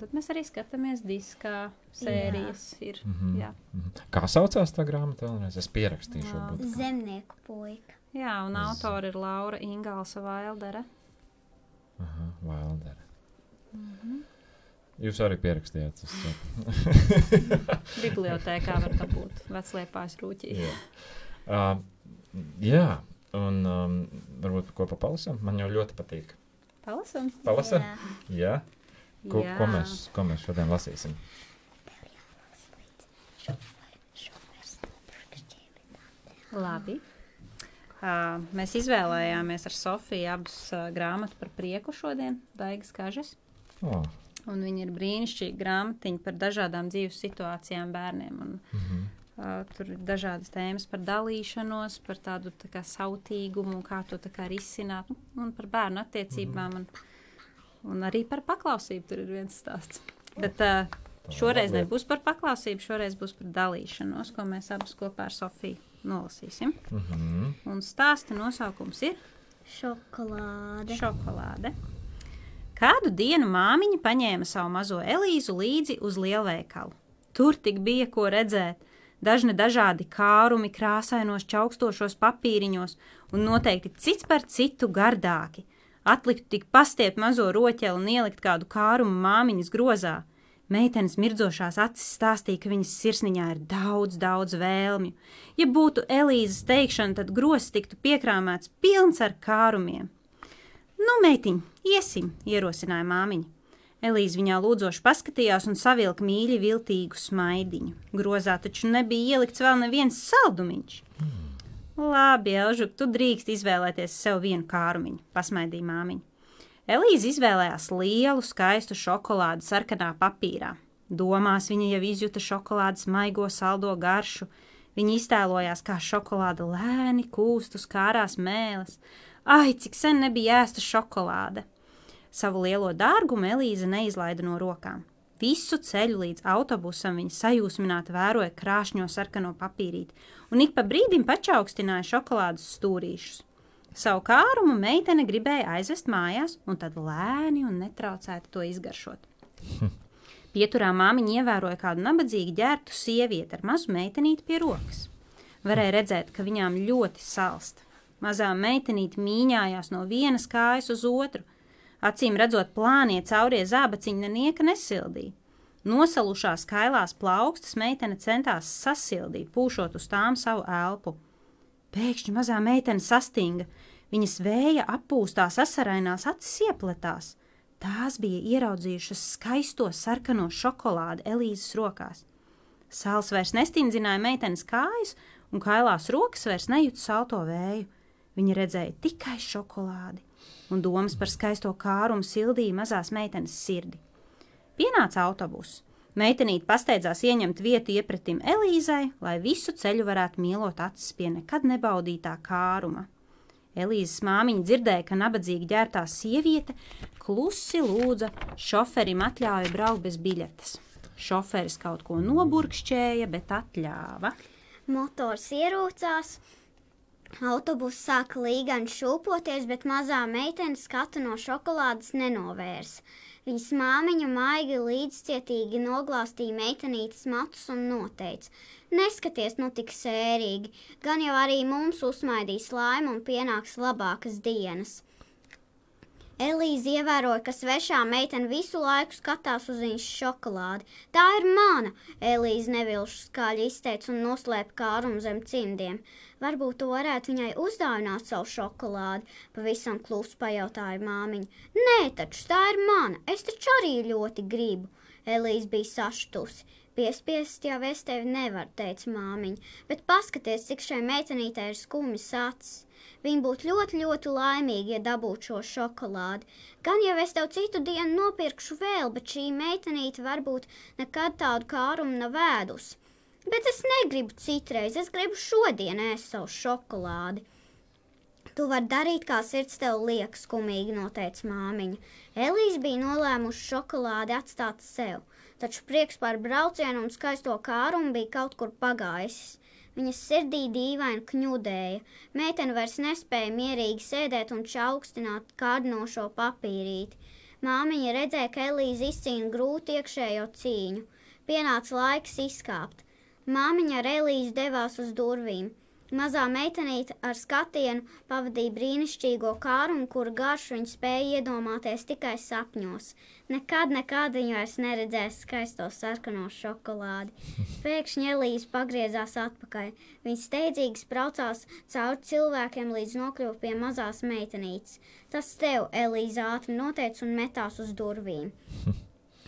Tad mēs arī skatāmies diskā, sērijas ir, jā. Kā saucās tā grāmata vēlreiz? Es pierakstīšu varbūt. Zemnieku puika. Jā, un autori ir Laura Ingalsa Vaildere. Aha, Vaildere. Jūs arī pierakstījāt, es saku. Bibliotēkā var dabūt Vecliepājas rūķī. Jā, un varbūt kopā palasam? Man jau ļoti patīk. Palasam? Palasam? Jā. Ko mēs šodien lasīsim? Labi. Mēs izvēlējāmies ar Sofiju abas grāmatu par prieku šodien, Daigas Kažas. Un viņi ir brīnišķīgi grāmatiņi par dažādām dzīves situācijām bērniem. Un, tur ir dažādas tēmas par dalīšanos, par tādu tā kā sautīgumu, kā to tā kā risināt, un par bērnu attiecībām, un arī par paklausību tur ir viens stāsts. Bet šoreiz nebūs par paklausību, šoreiz būs par dalīšanos, ko mēs abas kopā ar Sofiju nolasīsim. Un stāsta nosaukums ir Šokolāde. Kādu dienu māmiņa paņēma savu mazo Elīzu līdzi uz lielveikalu. Tur tik bija ko redzēt. Dažādi kārumi krāsainos čaukstošos papīriņos un noteikti cits par citu gardāki. Atliktu tik pastiept mazo roķeli un ielikt kādu kārumu māmiņas grozā. Meitenes mirdzošās acis stāstīja, ka viņas sirsniņā ir daudz vēlmju. Ja būtu Elīzes teikšana, tad grozs tiktu piekrāmēts pilns ar kārumiem. Nu, meitiņ, iesim, ierosināja māmiņa. Elīze viņā lūdzoši paskatījās un savilka mīļi viltīgu smaidiņu. Grozā taču nebija ielikts vēl neviens saldumiņš. Labi, Elžuk, tu drīkst izvēlēties sev vienu kārumiņu, pasmaidīja māmiņa. Elīze izvēlējās lielu, skaistu šokolādi sarkanā papīrā. Domās viņa jau izjuta šokolādes maigo saldo garšu. Viņa iztēlojās, kā šokolāda lēni kūst uz kārās mēles. Ai, cik sen nebija ēsta šokolāde! Savu lielo dārgumu Elīze neizlaida no rokām. Visu ceļu līdz autobusam viņa sajūsmināti vēroja krāšņo sarkano papīrīti un ik pa brīdim pačaukstināja šokolādes stūrīšus. Savu kārumu meitene gribēja aizvest mājās un tad lēni un netraucēti to izgaršot. Pieturā māmiņa ievēroja kādu nabadzīgi ģērbtu sievieti ar mazu meitenīti pie rokas. Varēja redzēt, ka viņām ļoti salst. Mazā meitenīte mīņājās no vienas kājas uz otru. Acīm redzot plānie caurie zābaciņi nieka nesildīja. Nosalušās kailās plaukstas meitene centās sasildīt, pūšot uz tām savu elpu. Pēkšņi mazā meitene sastinga. Viņas vēja appūstās asarainās acis iepletās. Tās bija ieraudzījušas skaisto sarkano šokolādi Elīzes rokās. Sāls vairs nestindzināja meitenes kājas, un kailās rokas vairs nejūta salto vēju. Viņa redzēja tikai šokolādi, un domas par skaisto kārumu sildīja mazās meitenes sirdi. Pienāca autobus. Meitenīte pasteidzās ieņemt vietu iepretim Elīzai, lai visu ceļu varētu mielot acis pie nekad nebaudītā kāruma. Elīzes māmiņa dzirdēja, ka nabadzīgi ģērbtā sieviete klusi lūdza šoferim atļauju braukt bez biļetes. Šoferis kaut ko noburkšķēja, bet atļāva. Motors ierūcās. Autobus sāka līgani šūpoties, bet mazā meitene skatu no šokolādes nenovērsa. Viņas māmiņa maigi līdzcietīgi noglāstīja meitenītes matus un noteica: neskaties nu tik sērīgi, gan jau arī mums uzsmaidīs laimi un pienāks labākas dienas. Elīze ievēroja, ka svešā meitene visu laiku skatās uz viņas šokolādi. Tā ir mana, Elīze nevilšu skaļi izteica un noslēpa kārumu zem cimdiem. Varbūt tu varētu viņai uzdāvināt savu šokolādi, pavisam klusi pajautāja māmiņa. Nē, taču tā ir mana, es taču arī ļoti gribu. Elīze bija sašutusi. Piespiest jau es tevi nevaru, teica māmiņa, bet paskaties, cik šai meitenītei ir skumjas acis. Viņa būtu ļoti laimīga, ja dabūtu šo šokolādi. Gan jau es tev citu dienu nopirkšu vēl, bet šī meitenīte varbūt nekad tādu kārumu nav ēdusi. Bet es negribu citreiz, es gribu šodien ēst savu šokolādi. Tu vari darīt, kā sirds tev liek, skumīgi noteica māmiņa. Elīze bija nolēmuši šokolādi atstāt sev, taču prieks par braucienu un skaisto kārumu bija kaut kur pagājis. Viņas sirdī dīvaini kņudēja. Meitene vairs nespēja mierīgi sēdēt un čaukstināt kārdinošo papīrīti. Māmiņa redzēja, ka Elīze izcīna grūti iekšējo cīņu. Pienāca laiks izkāpt. Māmiņa ar Elīzi devās uz durvīm. Mazā meitenīte ar skatienu pavadīja brīnišķīgo kārumu, kuru garšu viņa spēja iedomāties tikai sapņos. Nekad viņa vairs neredzēs skaisto sarkano šokolādi. Pēkšņi Elīze pagriezās atpakaļ. Viņa steidzīgi spraucās cauri cilvēkiem, līdz nokļuva pie mazās meitenītes. Tas tev, Elīze ātri noteica un metās uz durvīm.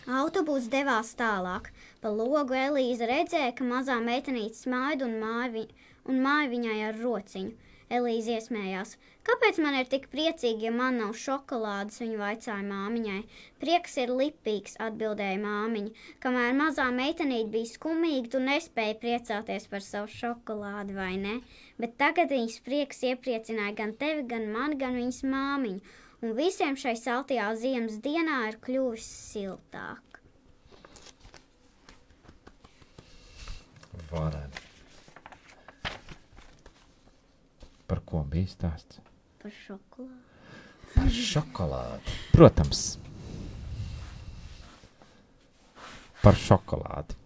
Autobus devās tālāk. Pa logu Elīze redzēja, ka mazā meitenīte smaida un māja viņai ar rociņu. Elīze iesmējās. Kāpēc man ir tik priecīgi, ja man nav šokolādes, viņa vaicāja māmiņai. Prieks ir lipīgs, atbildēja māmiņa. Kamēr mazā meitenīte bija skumīga, tu nespēji priecāties par savu šokolādi, vai ne? Bet tagad viņas prieks iepriecināja gan tevi, gan mani, gan viņas māmiņu. Un visiem šai saltajā ziemas dienā ir kļuvis siltāk. Varētu. Par ko bija stāsts? Par šokolādi. Par šokolādi. Protams. Par šokolādi.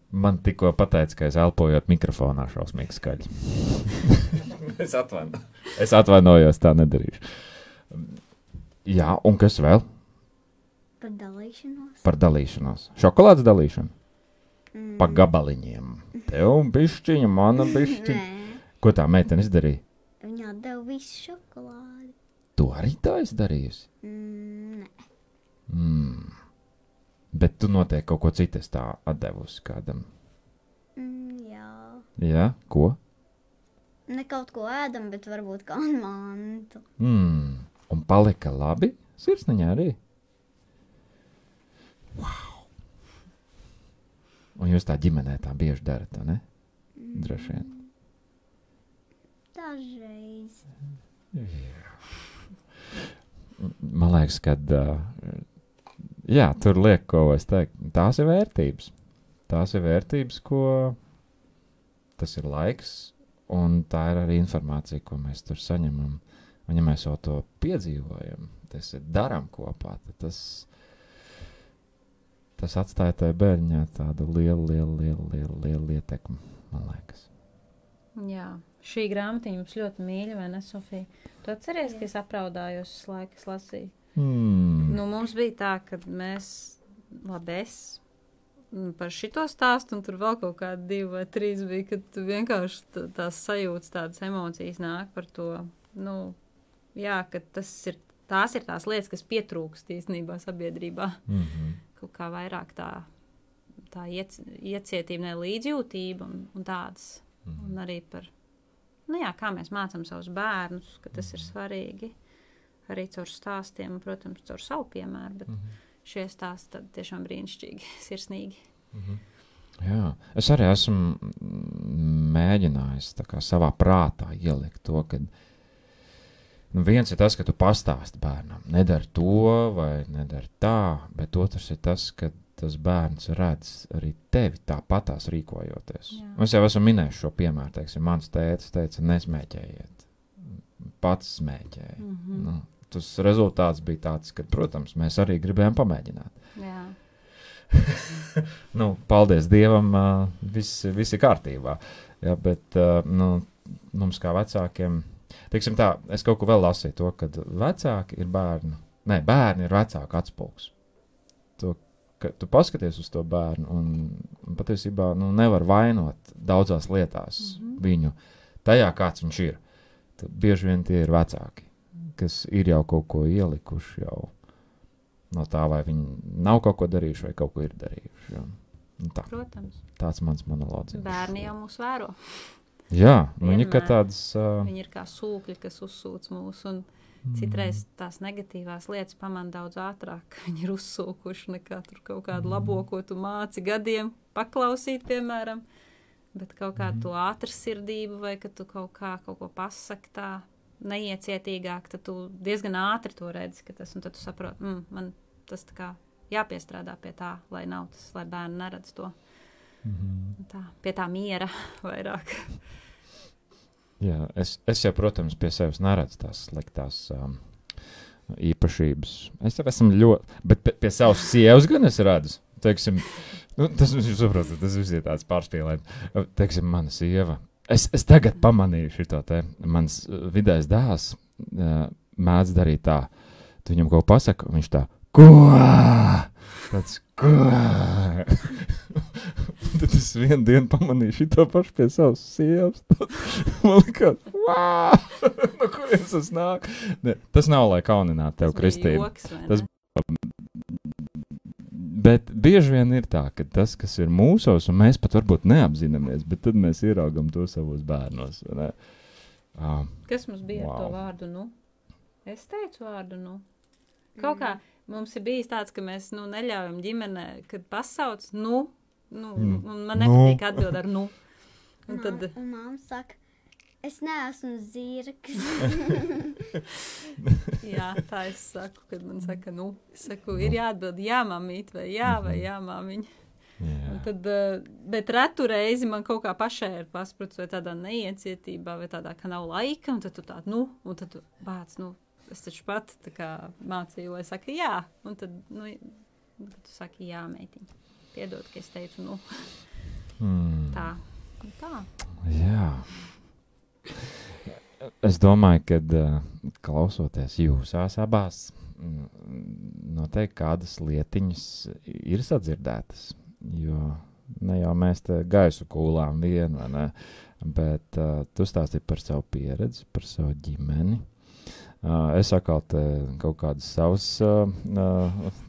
Man tikko pateica, ka es elpojot mikrofonā šausmīgi skaļi. Es atvainojos, tā nedarīšu. Jā, un kas vēl? Par dalīšanos. Par dalīšanos. Šokolādes dalīšanu? Pa gabaliņiem. Tev bišķiņa, mana bišķiņa. Nē, Ko tā meitene izdarīja? viņa atdeva visu šokolādi. Tu arī tā esi darījusi? Nē. Bet tu noteikti kaut ko citu esi tā atdevusi kādam. Jā. Jā? Ko? Ne kaut ko ēdam, bet varbūt kā mantu. Un palika labi? Sirsniņā arī? Wow! Un jūs tā ģimenē tā bieži darat, ne? Droši vien. Dažreiz. Man liekas, ka jā, tur liek, ko es teiktu, tās ir vērtības. Tās ir vērtības, ko tas ir laiks, un tā ir arī informācija, ko mēs tur saņemam. Un ja mēs jau to piedzīvojam, tas ir daram kopā, tad tas atstāja tajā bērņā tādu lielu ietekmi, man liekas. Jā, šī grāmatiņa mums ļoti mīļa, vai ne, Sofija? Tu atceries, ka es apraudājos uz laiku, es lasīju? Nu, mums bija tā, ka mēs, es par šito stāstu, un tur vēl kaut kādi 2 vai 3 bija, kad tu vienkārši tās sajūtas, tādas emocijas nāk par to, jā, ka tās ir tās lietas, kas pietrūkst īstenībā sabiedrībā. Kaut kā vairāk tā iecietība, līdzjūtība un tādas. Un arī par, kā mēs mācām savus bērnus, ka tas ir svarīgi. Arī caur stāstiem, un, protams, caur savu piemēru, bet šie stāsti tad tiešām brīnišķīgi, sirsnīgi. Jā, es arī esmu mēģinājis tā kā savā prātā ielikt to, ka viens ir tas, ka tu pastāsti bērnam, nedari to vai nedari tā, bet otrs ir tas, ka tas bērns redz arī tevi tāpatās rīkojoties. Es jau esmu minējis šo piemēru, teiksim, mans tētis teica, nesmēķējiet, pats smēķēja. Tas rezultāts bija tāds, ka, protams, mēs arī gribējām pamēģināt. Jā. Paldies Dievam, viss ir kārtībā. Jā, bet mums kā vecākiem, teiksim tā, es kaut ko vēl lasīju to, ka vecāki ir bērni ir vecāku atspulgs. Tu paskaties uz to bērnu un patiesībā nevar vainot daudzās lietās viņu tajā, kāds viņš ir. Tad bieži vien tie ir vecāki, kas ir jau kaut ko ielikuši jau no tā, vai viņi nav kaut ko darījuši vai kaut ko ir darījuši. Jā. Tā. Protams. Tāds mans monologs. Bērni jau mūs vēro. Jā, viņi kā tādas... Viņi ir kā sūkļi, kas uzsūc mūs, un citreiz tās negatīvās lietas pamana daudz ātrāk. Viņi ir uzsūkuši nekā tur kaut kādu labo, ko tu māci gadiem paklausīt, piemēram, bet kaut kādu to ātrsirdību vai ka tu kaut ko pasaki tā neiecietīgāk, tad tu diezgan ātri to redzi, ka tas, un tad tu saproti, man tas tā kā jāpiestrādā pie tā, lai nav tas, lai bērni neredz to. Tā, pie tā miera vairāk. Jā, es jau, protams, pie sevis neredzu tās sliktās īpašības. Es jau esmu ļoti, bet pie savas sievas gan es redzu. Teiksim, tas, jūs saprotat, tas viss ir tāds pārspīlēt. Teiksim, mana sieva. Es tagad pamanīju šito te. Mans vidējais dēls mēdz darīt tā. Tu viņam kaut pasaka, un viņš tā, ko? Tāds, ko? Tad es vienu dienu pamanīju šito pašu pie savas sievas. Man likās, no kurienes tas nāk? Ne, tas nav, lai kauninātu tev, Kristīna. Tas Bet bieži vien ir tā, ka tas, kas ir mūsos, un mēs pat varbūt neapzināmies, bet tad mēs ieraugam to savos bērnos. Ne? Kas mums bija ar to vārdu, nu? Es teicu vārdu, nu. Kaut kā mums ir bijis tāds, ka mēs, neļaujam ģimenē, kad pasauc, un man nepatīk atbild ar nu. Un tad... Un mamma saka, es neesmu zirgs. Jā, tā es saku, kad man saka, es saku, ir jāatbild jā, mamīt, vai jā, māmiņa. Un tad, bet retu reizi man kaut kā pašai ir paspruts, vai tādā neiecietībā, vai tādā, ka nav laika, un tad tu tād, un tad tu bāc, es taču pat tā kā mācīju, lai saka jā, un tad, tad tu saki jā, meitiņa. Piedod, ka es teicu, tā. Jā. Es domāju, kad klausoties jūsās abās, noteikti kādas lietiņas ir sadzirdētas, jo ne jau mēs te gaisu kūlām vienu, vai ne, bet tu stāstīji par savu pieredzi, par savu ģimeni. Es atkal te kaut kādus savus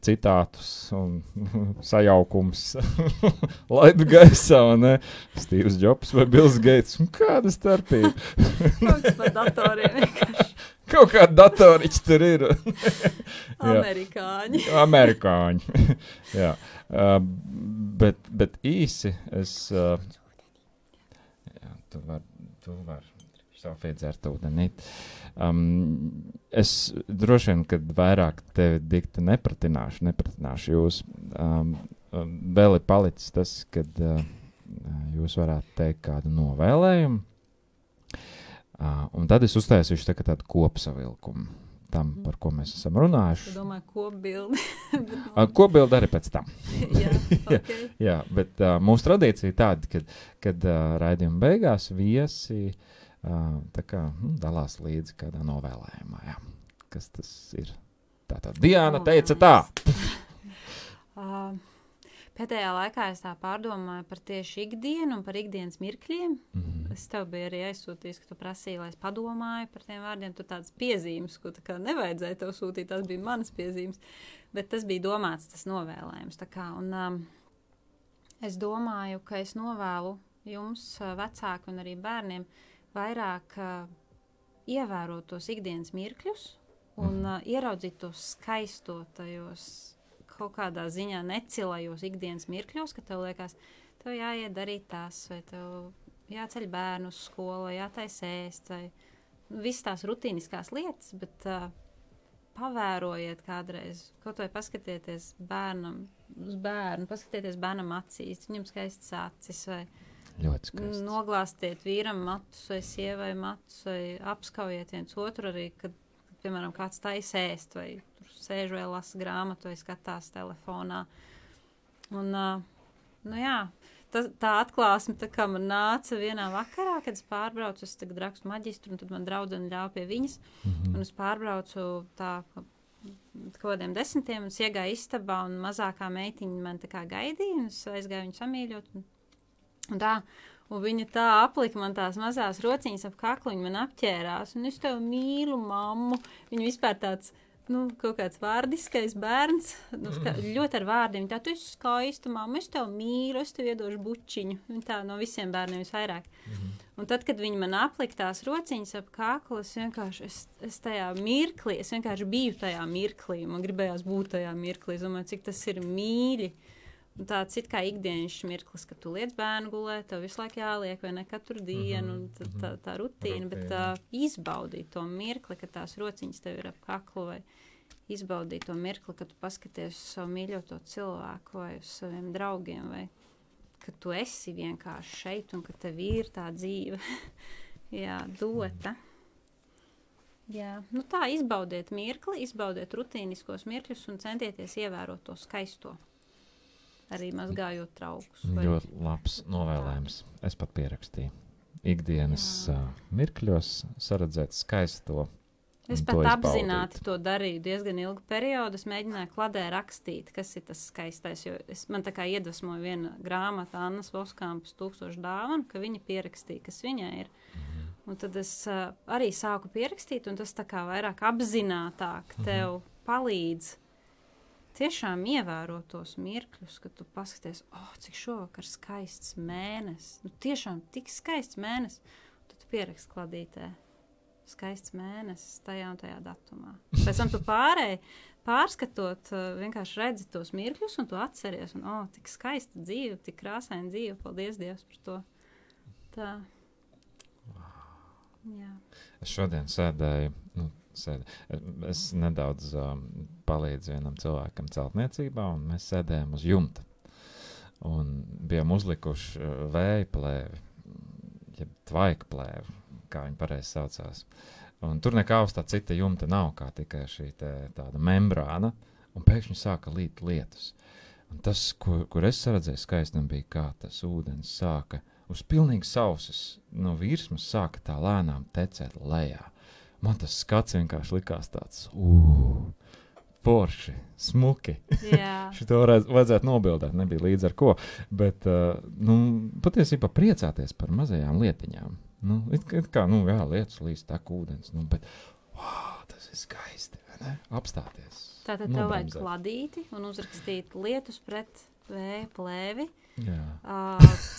citātus un sajaukums laidu gaisā, ne? Steve's Jobs vai Bills Gates, un kāda starpība? Kaut kas par datoriem vienkārši. Kaut kādi datoriķi tur ir. Amerikāņi. Jā. Bet īsi es... Tu var savu iedzert ūdenīt. Es droši vien, kad vairāk tevi dikti nepratināšu jūs. Vēl ir palicis tas, kad jūs varētu teikt kādu novēlējumu. Un tad es uztaisīšu tādu kopsavilkumu tam, par ko mēs esam runājuši. Tu domāji kopbildi? Kopbildi arī pēc tam. Jā, okay. Jā, bet mūsu tradīcija tāda, kad raidījuma beigās viesi tā kā dalās līdzi kādā novēlējumā, jā. Kas tas ir? Tātad Diana teica tā. Pēdējā laikā es tā pārdomāju par tieši ikdienu un par ikdienas mirkļiem. Es tev biju arī aizsūtījis, ka tu prasīji, lai es padomāju par tiem vārdiem. Tu tādas piezīmes, ko tā kā nevajadzēja tev sūtīt, tas bija manas piezīmes. Bet tas bija domāts, tas novēlējums. Tā kā, un es domāju, ka es novēlu jums, vecāki un arī bērniem, vairāk ievērot tos ikdienas mirkļus un ieraudzīt tos skaisto tajos kaut kādā ziņā necilajos ikdienas mirkļos, ka tev liekas, tev jāiet darīt tās, vai tev jāceļ bērnu uz skolu, vai jātais ēst, vai visas tās rutīniskās lietas, bet pavērojiet kādreiz, kaut vai paskatieties bērnam uz bērnu, paskatieties bērnam acīs, viņam skaistas acis, vai noglāstiet vīram matus vai sievai matus vai apskaujiet viens otru arī, kad, piemēram, kāds tais ēst vai tur sēž vai lasa grāmatu vai skatās telefonā. Un, jā, tā atklāsme tā kā man nāca vienā vakarā, kad es pārbraucu, es tagad rakstu maģistru, un tad man draudzene ļauj pie viņas, un es pārbraucu tā kaut kādiem 10, un es iegāju istabā, un mazākā meitiņa man tā kā gaidīja, un es aizgāju viņu samīļot, un viņa tā aplika man tās mazās rociņas ap kaklu, viņa man apķērās, un es tev mīlu, mammu. Viņa vispār tāds, kaut kāds vārdiskais bērns, ļoti ar vārdiem. Tā, tu esi skaista, mamma, es tev mīlu, es tev iedošu bučiņu. Viņa tā no visiem bērniem visvairāk. Un tad, kad viņa man aplika tās rociņas ap kaklu, es tajā mirklī, es vienkārši biju tajā mirklī, man gribējās būt tajā mirklī, es domāju, cik tas ir mīļi. Un tāds it kā ikdienas mirklis, ka tu liec bērnu gulēt, tev visu laiku jāliek, vai ne katru dienu, un tā rutīna, bet izbaudīt to mirkli, ka tās rociņas tev ir ap kaklu, vai izbaudīt to mirkli, ka tu paskaties uz savu mīļoto cilvēku, vai uz saviem draugiem, vai ka tu esi vienkārši šeit, un ka tev ir tā dzīve, jā, dota. Jā, tā izbaudiet mirkli, izbaudiet rutīniskos mirkļus un centieties ievērot to skaisto. Arī mazgājot traukus. Ļoti labs novēlējums. Es pat pierakstīju. Ikdienas mirkļos saredzēt skaisto. Es pat apzināti to darīju diezgan ilgu periodu. Es mēģināju kladē rakstīt, kas ir tas skaistais. Jo man tā kā iedvesmoja viena grāmata Annas Voskampas 1000 dāvanu, ka viņa pierakstīja, kas viņai ir. Un tad es arī sāku pierakstīt, un tas tā kā vairāk apzinātāk tev palīdz tiešām ievēro tos mirkļus, kad tu paskaties, cik šovakar skaists mēnesis. Nu, tiešām tik skaists mēnesis. Tad tu pieraksti kladītē. Skaists mēnesis tajā un tajā datumā. Pēc tam tu pārskatot, vienkārši redzi tos mirkļus un tu atceries. Un, tik skaista dzīve, tik krāsaina dzīve. Paldies Dievs par to. Tā. Jā. Es šodien sēdēju, es nedaudz palīdzu vienam cilvēkam celtniecībā, un mēs sēdējām uz jumta. Un bijām uzlikuši vēja plēvi, jeb tvaika plēvi, kā viņi pareizi saucās. Un tur nekā uz tā cita jumta nav, kā tikai šī tāda membrāna, un pēkšņi sāka līt lietus. Un tas, kur es saredzēju skaistam, bija kā tas ūdens sāka uz pilnīgi sausas no virsmas sāka tā lēnām tecēt lejā. Man tas skats vienkārši likās tāds, forši, smuki. Jā. Šito vajadzētu nobildēt, nebija līdz ar ko. Bet, patiesībā priecāties par mazajām lietiņām. It kā, lietus līdz tek ūdens, bet, tas ir skaisti, vai ne? Apstāties. Tātad tev vajag kladīti un uzrakstīt lietus pret vēja plēvi. Jā.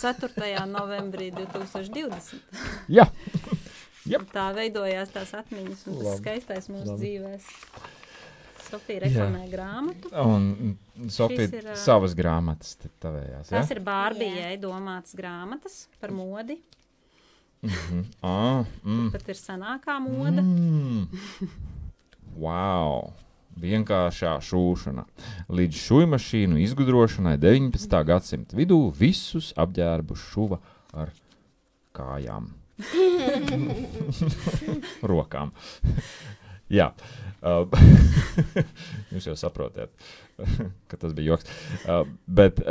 4. novembrī 2020. Jā. Yep. Tā veidojās tās atmiņas un tas skaistais mūsu dzīvēs. Sofija reklamē grāmatu. Un Sofija savas grāmatas tavējās, Tas ir Bārbijai domātas grāmatas par modi. Pat ir senākā moda. Wow! Vienkāršā šūšana. Līdz šujmašīnu izgudrošanai 19. gadsimta vidū visus apģērbu šuva ar kājām. Rokām. Jā. Jūs jau saprotiet, ka tas bija joks. Bet,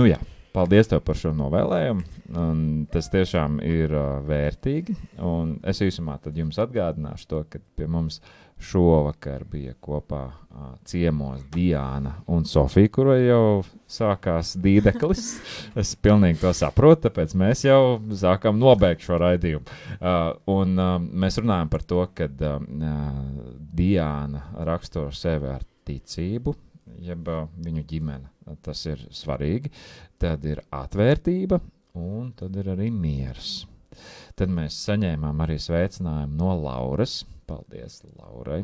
jā. Paldies tev par šo novēlējumu. Un tas tiešām ir vērtīgi. Un es īsumā tad jums atgādināšu to, ka pie mums šovakar bija kopā ciemos Diāna un Sofija, kura jau sākās dīdeklis. Es pilnīgi to saprotu, tāpēc mēs jau sākam nobeigt šo raidījumu. Un mēs runājam par to, ka Diāna raksturo sevi ar ticību, jeb viņu ģimene. Tas ir svarīgi. Tad ir atvērtība un tad ir arī miers. Tad mēs saņēmām arī sveicinājumu no Lauras. Paldies, Laurai.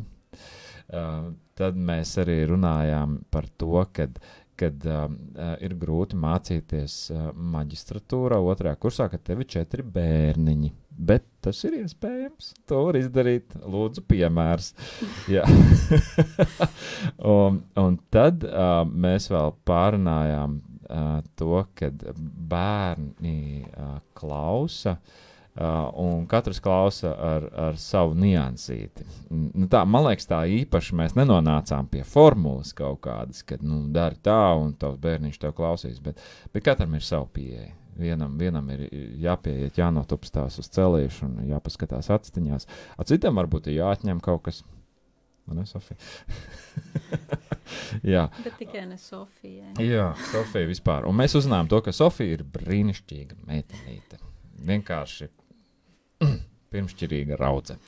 Tad mēs arī runājām par to, kad ir grūti mācīties maģistratūrā 2. kursā, kad tev ir 4 bērniņi. Bet tas ir iespējams. To var izdarīt. Lūdzu, piemērs. Jā. un tad mēs vēl pārunājām to, kad bērni klausa un katrs klausa ar savu niansīti. Tā, man liekas, tā īpaši mēs nenonācām pie formulas kaut kādas, kad dari tā un tavs bērniņš tev klausīs, bet katram ir savu pieeja. Vienam ir jāpieiet, jānotupstās uz celīšu un jāpaskatās atstiņās. Citam varbūt ir jāatņem kaut kas. Ne, Sofija? Jā. Bet tikai ne Sofijai. Jā, Sofija vispār. Un mēs uzzinājām to, ka Sofija ir brīnišķīga meitenīte. Vienkārši pirmšķirīga raudze.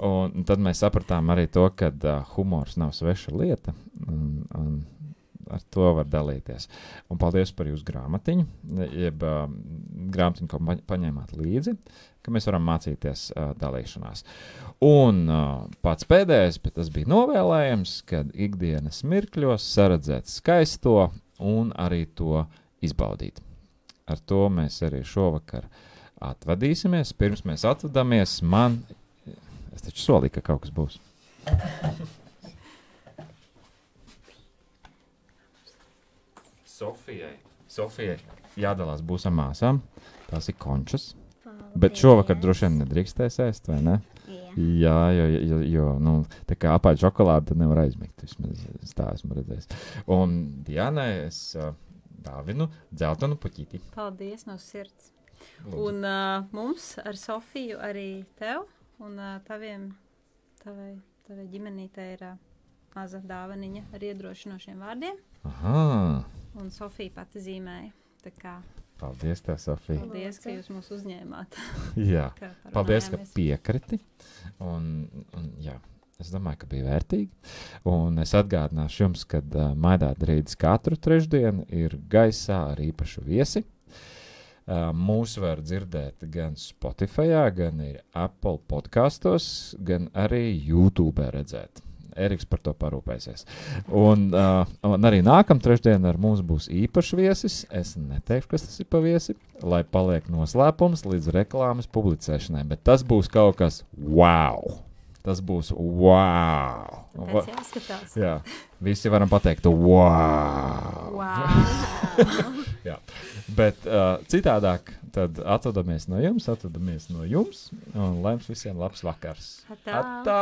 Un tad mēs sapratām arī to, ka humors nav sveša lieta un ar to var dalīties. Un paldies par jūsu grāmatiņu, jeb grāmatiņu, ko paņēmāt līdzi, ka mēs varam mācīties dalīšanās. Un pats pēdējais, bet tas bija novēlējams, kad ikdienas mirkļos saredzēt skaisto un arī to izbaudīt. Ar to mēs arī šovakar atvadīsimies. Pirms mēs atvadamies, es taču solīju, ka kaut kas būs. Sofijai jādalās būs ar māsām. Tās ir končas. Paldies. Bet šovakar droši vien nedrīkstēs ēst, vai ne? Jā, jo tā kā apaļ šokolādi, tad nevar aizmigt. Vismaz tā esmu redzējis. Un Diānai es dāvinu dzeltenu puķīti. Paldies no sirds. Lūdzu. Un mums ar Sofiju arī tev un tavai ģimenītei ir maza dāvaniņa ar iedrošinošiem vārdiem. Aha. Un Sofija pati zīmēja. Tā kā paldies tev, Sofija. Paldies, ka jūs mūs uzņēmāt. Jā, paldies, ka piekriti. Un jā, Es domāju, ka bija vērtīgi. Un es atgādināšu jums, ka Maidāta rīts katru trešdienu ir gaisā ar īpašu viesi. Mūs var dzirdēt gan Spotify, gan ir Apple podkastos, gan arī YouTube redzēt. Eriks par to parūpēsies. Un arī nākamā trešdiena ar mums būs īpašs viesis. Es neteikšu, kas tas ir pa viesi, lai paliek noslēpums līdz reklāmas publicēšanai. Bet tas būs kaut kas wow! Tas būs wow! Pēc jāskatās. Jā, visi varam pateikt wow! Jā. Bet citādāk tad atvadamies no jums, un lai jums visiem labs vakars. Atā! Atā!